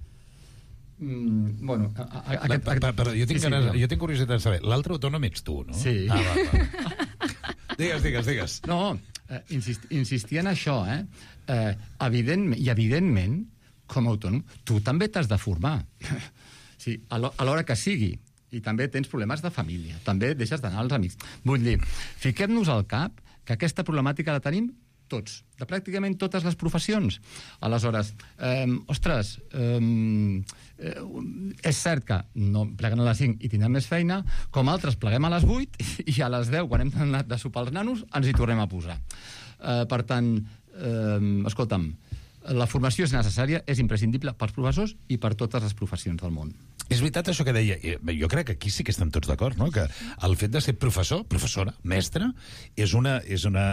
Bueno, però jo tinc curiositat de saber, l'altre autònom ets tu, no? Sí. Va. Digues. No, insistir en això, evidentment, com a autònom, tu també t'has de formar. Sí, a l'hora que sigui. I també tens problemes de família. També deixes d'anar als amics. Vull dir, fiquem-nos al cap que aquesta problemàtica la tenim tots, de pràcticament totes les professions. Aleshores, és cert que no pleguen a les 5 i tindrem més feina, com altres pleguem a les 8 i a les 10, quan hem anat de sopar els nanos, ens hi tornem a posar. Per tant, escolta'm, la formació és necessària, és imprescindible pels professors i per totes les professions del món. És veritat això que deia, jo crec que aquí sí que estan tots d'acord, no? Que el fet de ser professor, professora, mestre, és una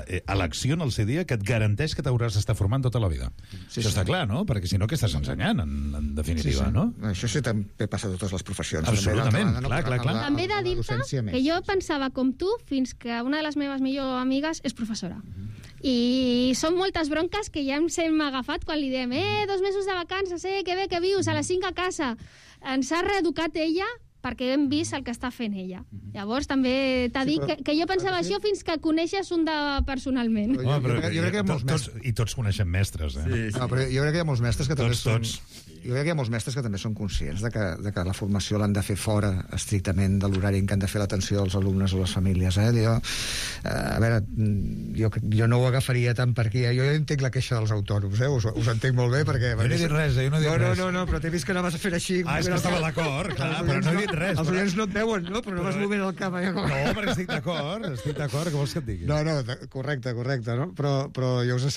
elecció en el seu dia que et garanteix que t'hauràs d'estar formant tota la vida. Això està clar, no? Perquè si no, què estàs ensenyant, en definitiva, no? Això sí també passa a totes les professions. Absolutament, clar. També he de dir-te que jo pensava com tu fins que una de les meves millors amigues és professora. I són moltes bronques que ja ens hem agafat quan li diem 2 mesos de vacances, que bé que vius, a les 5 a casa. Ens ha reeducat ella perquè hem vist el que està fent ella. Llavors també t'ha dit que jo pensava això fins que coneixes un personalment. Jo crec que i tots coneixem mestres, No, però jo crec que hi ha molts mestres que també són... Jo crec que hi ha molts mestres que també són conscients de que la formació l'han de fer fora estrictament de l'horari en què han de fer l'atenció als alumnes o les famílies. A veure, jo no ho agafaria tant per aquí. Jo entenc la queixa dels autònoms, us entenc molt bé perquè... Jo no he dit res, No, però t'he vist que anaves a fer així... És que estava d'acord, clar, però no he dit res. Els oients no et veuen, no? Però no vas movent el cap. No, però estic d'acord, què vols que et digui? No, correcte, no? Però jo us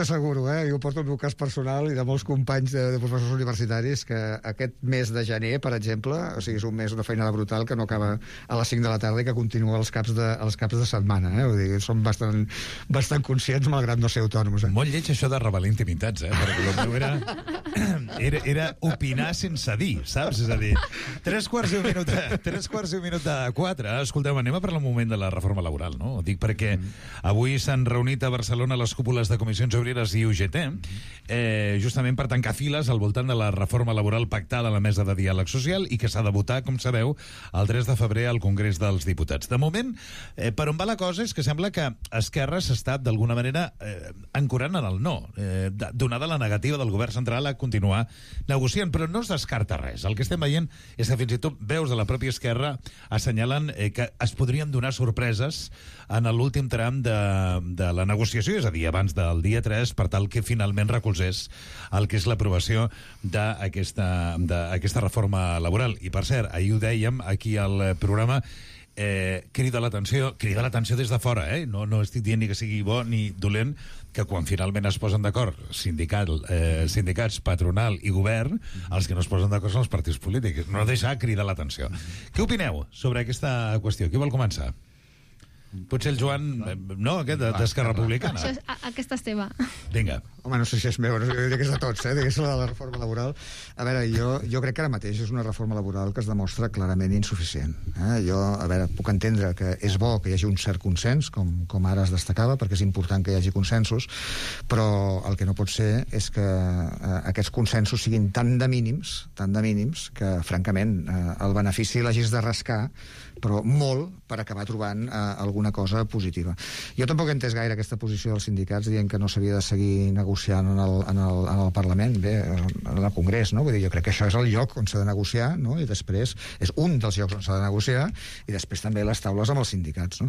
asseguro, jo porto el meu cas personal i de molts companys de professors universitaris que aquest mes de gener, per exemple, o sigui, és un mes, una feinada brutal que no acaba a les 5 de la tarda i que continua als caps de setmana, Vull dir, som bastant conscients, malgrat no ser autònoms. Molt lleig això de revelar intimitats, perquè el meu era opinar sense dir, saps? És a dir, 3:15 de 4. Escolteu, anem a parlar un moment de la reforma laboral, no? Ho dic perquè avui s'han reunit a Barcelona les cúpules de Comissions Obreres i UGT, justament per tancar files al voltant de la reforma laboral pactada a la mesa de diàleg social i que s'ha de votar, com sabeu, el 3 de febrer al Congrés dels Diputats. De moment, per on va la cosa és que sembla que Esquerra s'està, d'alguna manera, ancorant en el no, donada la negativa del govern central a continuar negociant, però no es descarta res. El que estem veient és que fins i tot veus de la pròpia Esquerra assenyalen que es podrien donar sorpreses en l'últim tram de la negociació, és a dir, abans del dia 3, per tal que finalment recolzés el que és l'aprovació d'aquesta reforma laboral. I, per cert, ahir ho dèiem aquí al programa, crida l'atenció des de fora, no estic dient ni que sigui bo ni dolent, que quan finalment es posen d'acord sindicats, patronal i govern, els que no es posen d'acord són els partits polítics. No deixar cridar l'atenció. Què opineu sobre aquesta qüestió? Qui vol començar? Potser el Joan... No, aquest d'Esquerra Republicana. Aquesta és teva. Vinga. Home, no sé si és meva, jo diria que és de tots, digués la reforma laboral. A veure, jo crec que ara mateix és una reforma laboral que es demostra clarament insuficient. Jo, a veure, puc entendre que és bo que hi hagi un cert consens, com ara es destacava, perquè és important que hi hagi consensos, però el que no pot ser és que aquests consensos siguin tan de mínims, que, francament, el benefici l'hagis de rascar, però molt per acabar trobant alguna cosa positiva. Jo tampoc he entès gaire aquesta posició dels sindicats dient que no s'havia de seguir negociant en el Parlament, bé, en el Congrés, no? Vull dir, jo crec que això és el lloc on s'ha de negociar, no? I després és un dels llocs on s'ha de negociar i després també les taules amb els sindicats, no?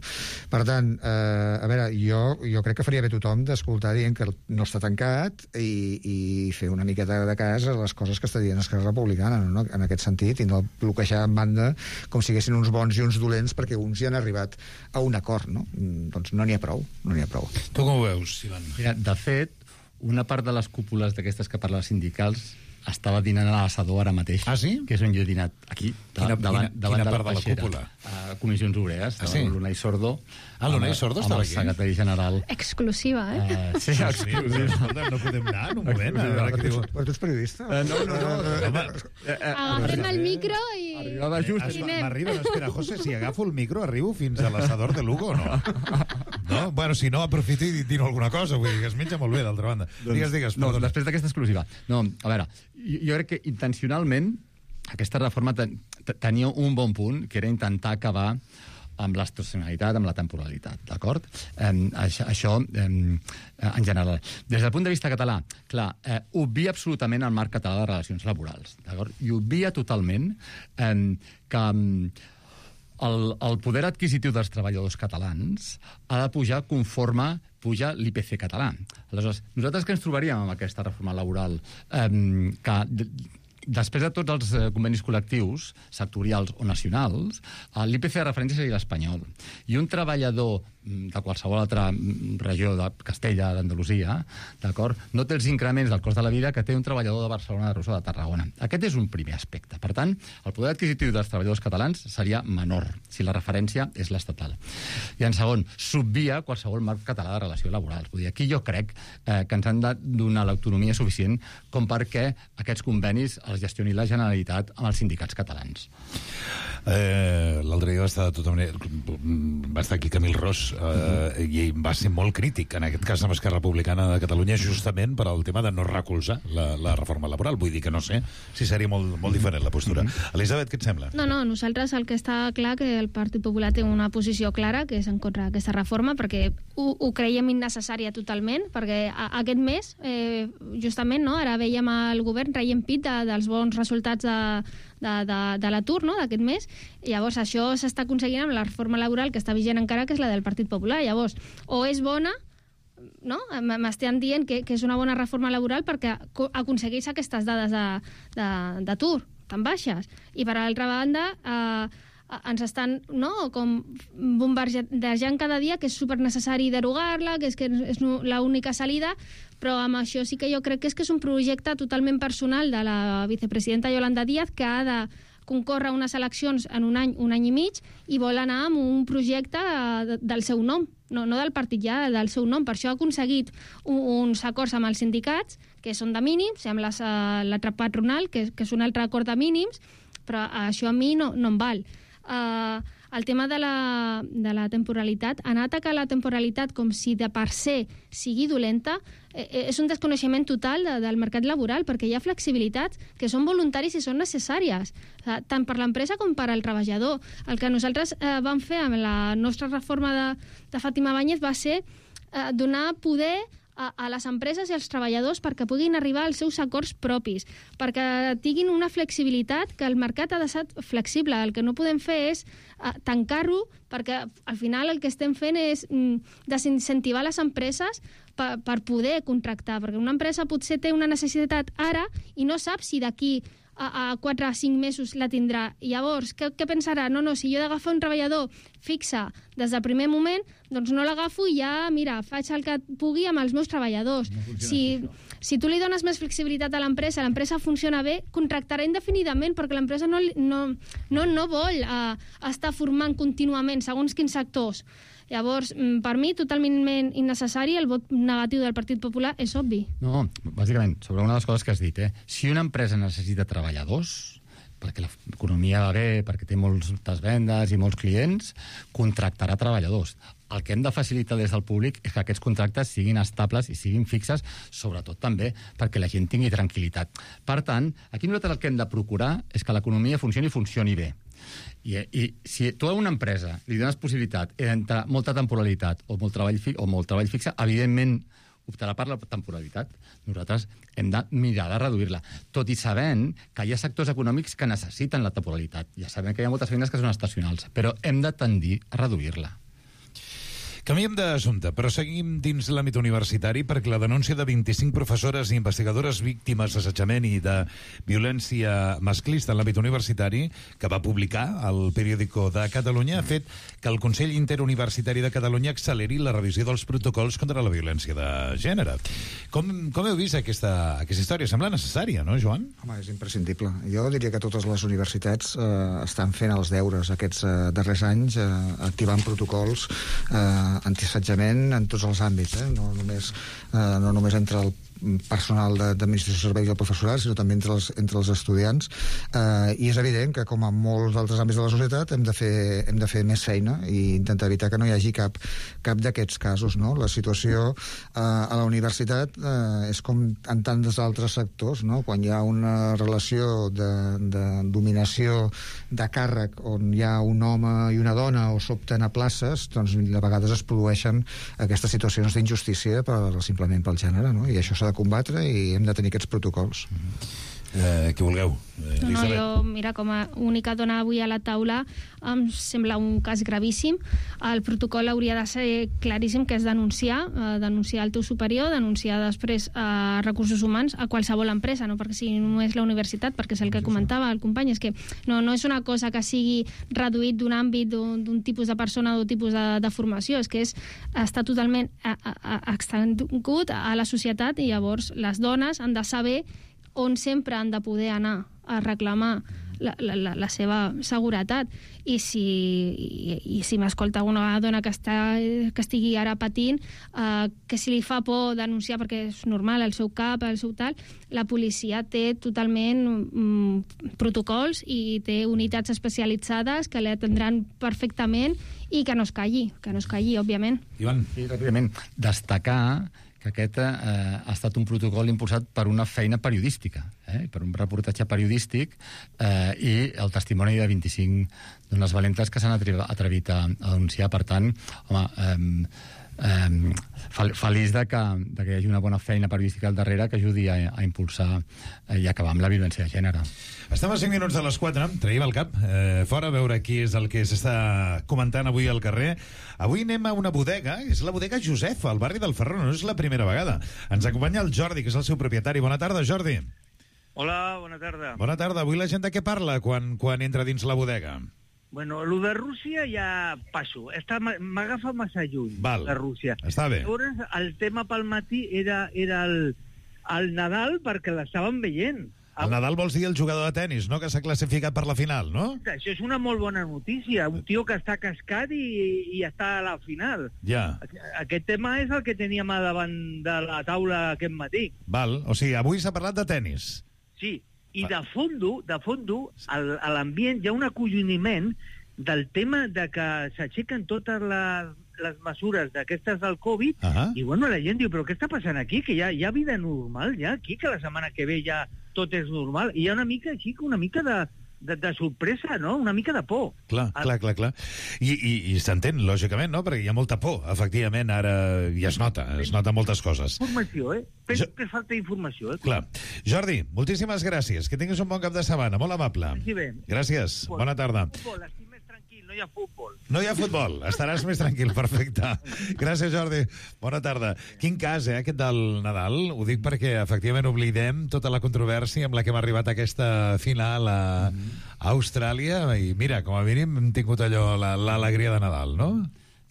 Per tant, a veure, jo crec que faria bé tothom d'escoltar dient que no està tancat i fer una miqueta de cas a les coses que està dient Esquerra Republicana, no? En aquest sentit, i no bloquejar en banda com si haguessin uns bons i uns dolents perquè uns hi han arribat a un acord, no? Doncs no n'hi ha prou, Tu com ho veus, Ivan? Mira, de fet, una part de les cúpules d'aquestes que parlen els sindicals estava dinant a l'assador ara mateix. Ah, sí? Que és on jo he dinat, aquí, davant de la part peixera. De la cúpula? A Comissions Obreres, l'Unai Sordo. L'Unai Sordo estava aquí? Amb el secretari general. Exclusiva, Sí, exclusiva. Escolta, no podem anar en un moment. Però tu ets periodista? No. Agafem el micro i... Arribava just. M'arriba, espera, José, si agafo el micro arribo fins a l'assador de Lugo o no? No? Bueno, si no, aprofiti i dino alguna cosa, vull dir que es menja molt bé, d'altra banda. Digues, no, perdona. després d'aquesta exclusiva. No, a veure, jo crec que intencionalment aquesta reforma tenia un bon punt, que era intentar acabar amb l'estacionalitat, amb la temporalitat, d'acord? Això, en general. Des del punt de vista català, clar, obvia absolutament el marc català de relacions laborals, d'acord? I obvia totalment que el poder adquisitiu dels treballadors catalans ha de pujar conforme puja l'IPC català. Aleshores, nosaltres què ens trobaríem amb aquesta reforma laboral? Que després de tots els convenis col·lectius, sectorials o nacionals, l'IPC de referència seria l'espanyol. I un treballador de qualsevol altra regió de Castella, d'Andalusia, d'acord, no té els increments del cost de la vida que té un treballador de Barcelona, de Rosa, de Tarragona. Aquest és un primer aspecte. Per tant, el poder adquisitiu dels treballadors catalans seria menor, si la referència és l'estatal. I en segon, s'obvia qualsevol marc català de relació laboral. Vull dir, aquí jo crec que ens han de donar l'autonomia suficient com perquè aquests convenis els gestioni la Generalitat amb els sindicats catalans. L'altre dia va estar aquí Camil Ros i va ser molt crític, en aquest cas amb Esquerra Republicana de Catalunya, justament per al tema de no recolzar la reforma laboral. Vull dir que no sé si seria molt diferent la postura. Elisabet, què et sembla? No, nosaltres el que està clar que el Partit Popular té una posició clara, que és en contra d'aquesta reforma, perquè ho creiem innecessària totalment, perquè aquest mes, justament, ara veiem el govern traient pit dels bons resultats de l'atur, no?, d'aquest mes. Llavors, això s'està aconseguint amb la reforma laboral que està vigent encara, que és la del Partit Popular. Llavors, o és bona, no?, m'estan dient que és una bona reforma laboral perquè aconsegueix aquestes dades d'atur tan baixes. I, per altra banda, ens estan, com bombardejant cada dia que és supernecessari derogar-la, que és l'única salida, però amb això sí que jo crec que és un projecte totalment personal de la vicepresidenta Yolanda Díaz, que ha de concórrer a unes eleccions en un any i mig, i vol anar amb un projecte del seu nom, no del partit ja, del seu nom. Per això ha aconseguit uns acords amb els sindicats, que són de mínims, amb l'altre patronal, que és un altre acord de mínims, però això a mi no em val. El tema de la temporalitat, anar a atacar la temporalitat com si de per se sigui dolenta, és un desconeixement total del mercat laboral, perquè hi ha flexibilitats que són voluntaris i són necessàries, tant per l'empresa com per al treballador. El que nosaltres vam fer amb la nostra reforma de Fàtima Báñez va ser donar poder a les empreses i als treballadors perquè puguin arribar als seus acords propis, perquè tinguin una flexibilitat, que el mercat ha de ser flexible. El que no podem fer és tancar-ho, perquè al final el que estem fent és desincentivar les empreses per poder contractar, perquè una empresa potser té una necessitat ara i no sap si d'aquí a 4 o 5 mesos la tindrà. I llavors, què pensarà? No, si jo he d'agafar un treballador fixe des del primer moment, doncs no l'agafo i ja, mira, faig el que pugui amb els meus treballadors. Si tu li dones més flexibilitat a l'empresa funciona bé, contractarà indefinidament, perquè l'empresa no vol estar formant contínuament segons quins sectors. Llavors, per mi, totalment innecessari, el vot negatiu del Partit Popular és obvi. No, bàsicament, sobre una de les coses que has dit, si una empresa necessita treballadors, perquè l'economia va bé, perquè té moltes vendes i molts clients, contractarà treballadors. El que hem de facilitar des del públic és que aquests contractes siguin estables i siguin fixes, sobretot també perquè la gent tingui tranquil·litat. Per tant, aquí nosaltres el que hem de procurar és que l'economia funcioni bé. I si tu a una empresa li dones possibilitat entre molta temporalitat o molt treball fixe, evidentment optarà per la temporalitat. Nosaltres hem de mirar de reduir-la, tot i sabent que hi ha sectors econòmics que necessiten la temporalitat. Ja sabem que hi ha moltes feines que són estacionals, però hem de tendir a reduir-la. Canviem d'assumpte, però seguim dins l'àmbit universitari perquè la denúncia de 25 professores i investigadores víctimes d'assetjament i de violència masclista en l'àmbit universitari que va publicar el Periódico de Catalunya ha fet que el Consell Interuniversitari de Catalunya acceleri la revisió dels protocols contra la violència de gènere. Com heu vist aquesta història? Sembla necessària, no, Joan? Home, és imprescindible. Jo diria que totes les universitats estan fent els deures aquests darrers anys, activant protocols antiassetjament en tots els àmbits, no només entre el personal d'administració de serveis i el professorat, sinó també entre els estudiants, i és evident que, com en molts altres àmbits de la societat, hem de fer més feina i intentar evitar que no hi hagi cap d'aquests casos, no? La situació a la universitat és com en tants altres sectors, no? Quan hi ha una relació de dominació de càrrec on hi ha un home i una dona o s'opten a places, doncs a vegades es produeixen aquestes situacions d'injustícia simplement pel gènere, no? I això s'ha de combatre i hem de tenir aquests protocols. Què volgueu? No, jo, mira, com a única dona avui a la taula, em sembla un cas gravíssim. El protocol hauria de ser claríssim, que és denunciar el teu superior, denunciar després a recursos humans, a qualsevol empresa, no perquè si no és la universitat, perquè és el que comentava el company, és que no és una cosa que sigui reduït d'un àmbit, d'un tipus de persona o d'un tipus de formació, és que està totalment extendut a la societat, i llavors les dones han de saber on sempre han de poder anar a reclamar la seva seguretat. I si m'escolta una dona que estigui ara patint, que si li fa por denunciar, perquè és normal, el seu cap, el seu tal, la policia té totalment protocols i té unitats especialitzades que l'atendran perfectament, i que no es calli, òbviament. Ivan. Sí, ràpidament. Destacar que aquest ha estat un protocol impulsat per una feina periodística, per un reportatge periodístic, i el testimoni de 25 dones valentes que s'han atrevit a denunciar. Per tant, home, feliç de que hi hagi una bona feina periodística al darrere que ajudi a impulsar i acabar amb la violència de gènere. Estem a 5 minuts de les 4, traiem el cap fora a veure qui és el que s'està comentant avui al carrer. Avui anem a una bodega, és la bodega Josefa, al barri del Ferró, no és la primera vegada. Ens acompanya el Jordi, que és el seu propietari. Bona tarda, Jordi. Hola, bona tarda. Bona tarda. Avui la gent de què parla quan entra dins la bodega? Bueno, lo de Rússia ja passo. M'agafa massa lluny, de Rússia. Està bé. Llavors, el tema pel matí era el Nadal, perquè l'estàvem veient. El Nadal vols dir el jugador de tenis, no?, que s'ha classificat per la final, no? Això és una molt bona notícia. Un tio que està cascat i està a la final. Ja. Aquest tema és el que teníem a davant de la taula aquest matí. Val, o sigui, avui s'ha parlat de tenis. Sí, i de fondo, a l'ambient hi ha un acolloniment del tema de que s'aixequen totes les mesures d'aquestes del Covid, i bueno, la gent diu, però què està passant aquí? Que hi ha vida normal ja aquí, que la setmana que ve ja tot és normal. I hi ha una mica així, una mica de sorpresa, no? Una mica de por. Clar. I s'entén, lògicament, no? Perquè hi ha molta por, efectivament, ara ja es nota moltes coses. Informació, Penso que falta informació, Clar. Jordi, moltíssimes gràcies. Que tinguis un bon cap de setmana, molt amable. Gràcies, bona tarda. Estic més tranquil, no hi ha futbol. No hi ha futbol, estaràs més tranquil, perfecte. Gràcies, Jordi. Bona tarda. Quin cas, aquest del Nadal? Ho dic perquè, efectivament, oblidem tota la controvèrsia amb la que hem arribat a aquesta final a Austràlia, i mira, com a mínim hem tingut allò, l'alegria de Nadal, no?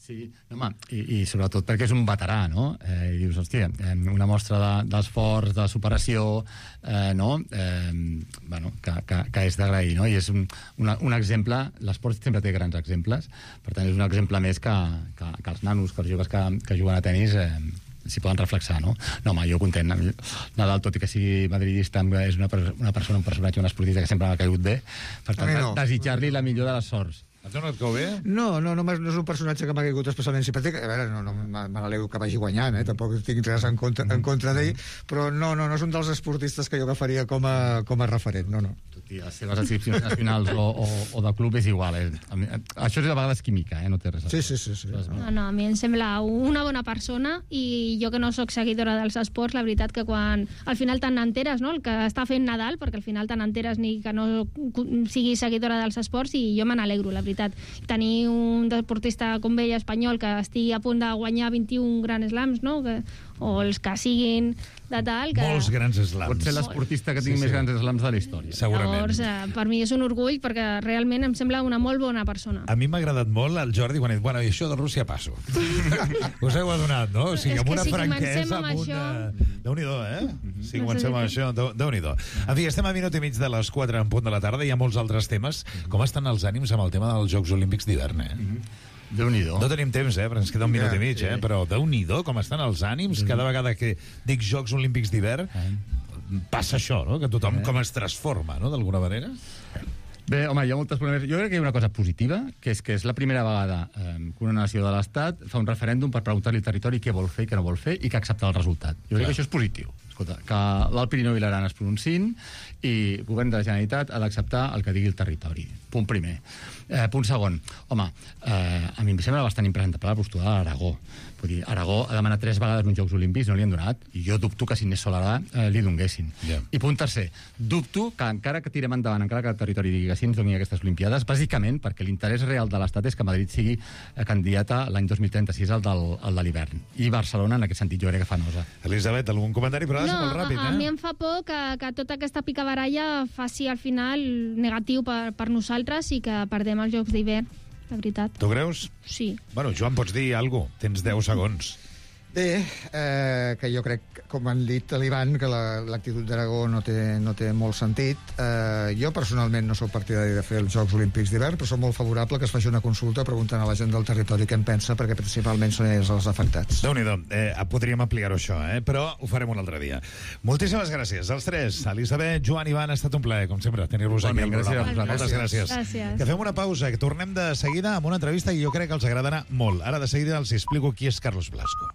Sí, home, i sobretot perquè és un veterà, no? I dius, hòstia, una mostra d'esforç, de superació, no? Bueno, que és d'agrair, no? I és un exemple, l'esport sempre té grans exemples, per tant és un exemple més que els nanos, que els joves que juguen a tenis s'hi poden reflexar, no? No, home, jo content. Nadal, tot i que sigui madridista, és una persona, un personatge, un esportista que sempre m'ha caigut bé, per tant, desitjar-li la millor de les sorts. A tu no et cau bé? No és un personatge que m'ha caigut especialment simpàtic. A veure, no me n'alegro que vagi guanyant, tampoc tinc res en contra d'ell, però no és un dels esportistes que jo agafaria com a referent, no. Tot i les seves adscripcions nacionals o de club és igual. Això és a vegades química, no té res a veure. Sí. No, a mi em sembla una bona persona, i jo que no sóc seguidora dels esports, la veritat que quan al final te'n enteres, no?, el que està fent Nadal, perquè al final te'n enteres ni que no sigui seguidora dels esports, i jo me n'alegro, la veritat. Tenir un deportista com ell, espanyol, que estigui a punt de guanyar 21 Grand Slams, no?, o els que siguin de tal... Molts grans slams. Pot ser l'esportista que tingui més grans slams de la història. Segurament. Llavors, per mi és un orgull, perquè realment em sembla una molt bona persona. A mi m'ha agradat molt el Jordi quan ha dit, bueno, i això de Rússia passo. Us heu adonat, no? O sigui, amb una franquesa, amb una... Déu-n'hi-do, Si comencem amb això, Déu-n'hi-do. En fi, estem a minut i mig de les 4 en punt de la tarda, hi ha molts altres temes. Com estan els ànims amb el tema dels Jocs Olímpics d'hivern, Déu-n'hi-do. No tenim temps, però ens queda un minut i mig, però Déu-n'hi-do com estan els ànims cada vegada que dic Jocs Olímpics d'hivern. Passa això, no? Que tothom com es transforma, no?, d'alguna manera. Bé, home, hi ha moltes problemes. Jo crec que hi ha una cosa positiva, que és la primera vegada que una nació de l'Estat fa un referèndum per preguntar-li al territori què vol fer i què no vol fer i que accepta el resultat. Jo crec que això és positiu. Escolta, que l'Alt Pirineu i l'Aran es pronunciïn i el govern de la Generalitat ha d'acceptar el que digui el territori. Punt primer. Punt segon. Home, a mi em sembla bastant impresentable la postura de l'Aragó. Vull dir, Aragó ha demanat 3 vegades uns Jocs Olímpics, no li han donat, i jo dubto que si Inés Solarà li donguessin. I punt tercer, dubto que encara que tirem endavant, encara que el territori digui que sí ens doni aquestes Olimpiades, bàsicament perquè l'interès real de l'Estat és que Madrid sigui candidata l'any 2036 al de l'hivern. I Barcelona, en aquest sentit, jo crec que fa nosa. Elisabet, algun comentari? Però ha de ser molt ràpid, a mi em fa por que tota aquesta picabaralla faci al final negatiu per nosaltres i que perdem els Jocs d'hivern. La veritat. Tu creus? Sí. Bueno, Joan, pots dir alguna cosa? Tens 10 segons. Bé, que jo crec, com han dit a l'Ivan, que l'actitud d'Aragó no té molt sentit. Jo personalment no sóc partidari de fer els Jocs Olímpics d'hivern, però soc molt favorable que es faci una consulta preguntant a la gent del territori què en pensa, perquè principalment són ells els afectats. Déu-n'hi-do, podríem ampliar-ho això, però ho farem un altre dia. Moltíssimes gràcies als 3. Elisabet, Joan, Ivan, ha estat un plaer, com sempre, tenir-vos aquí al programa. Moltes gràcies. Que fem una pausa, que tornem de seguida amb una entrevista que jo crec que els agradarà molt. Ara de seguida els explico qui és Carlos Blasco.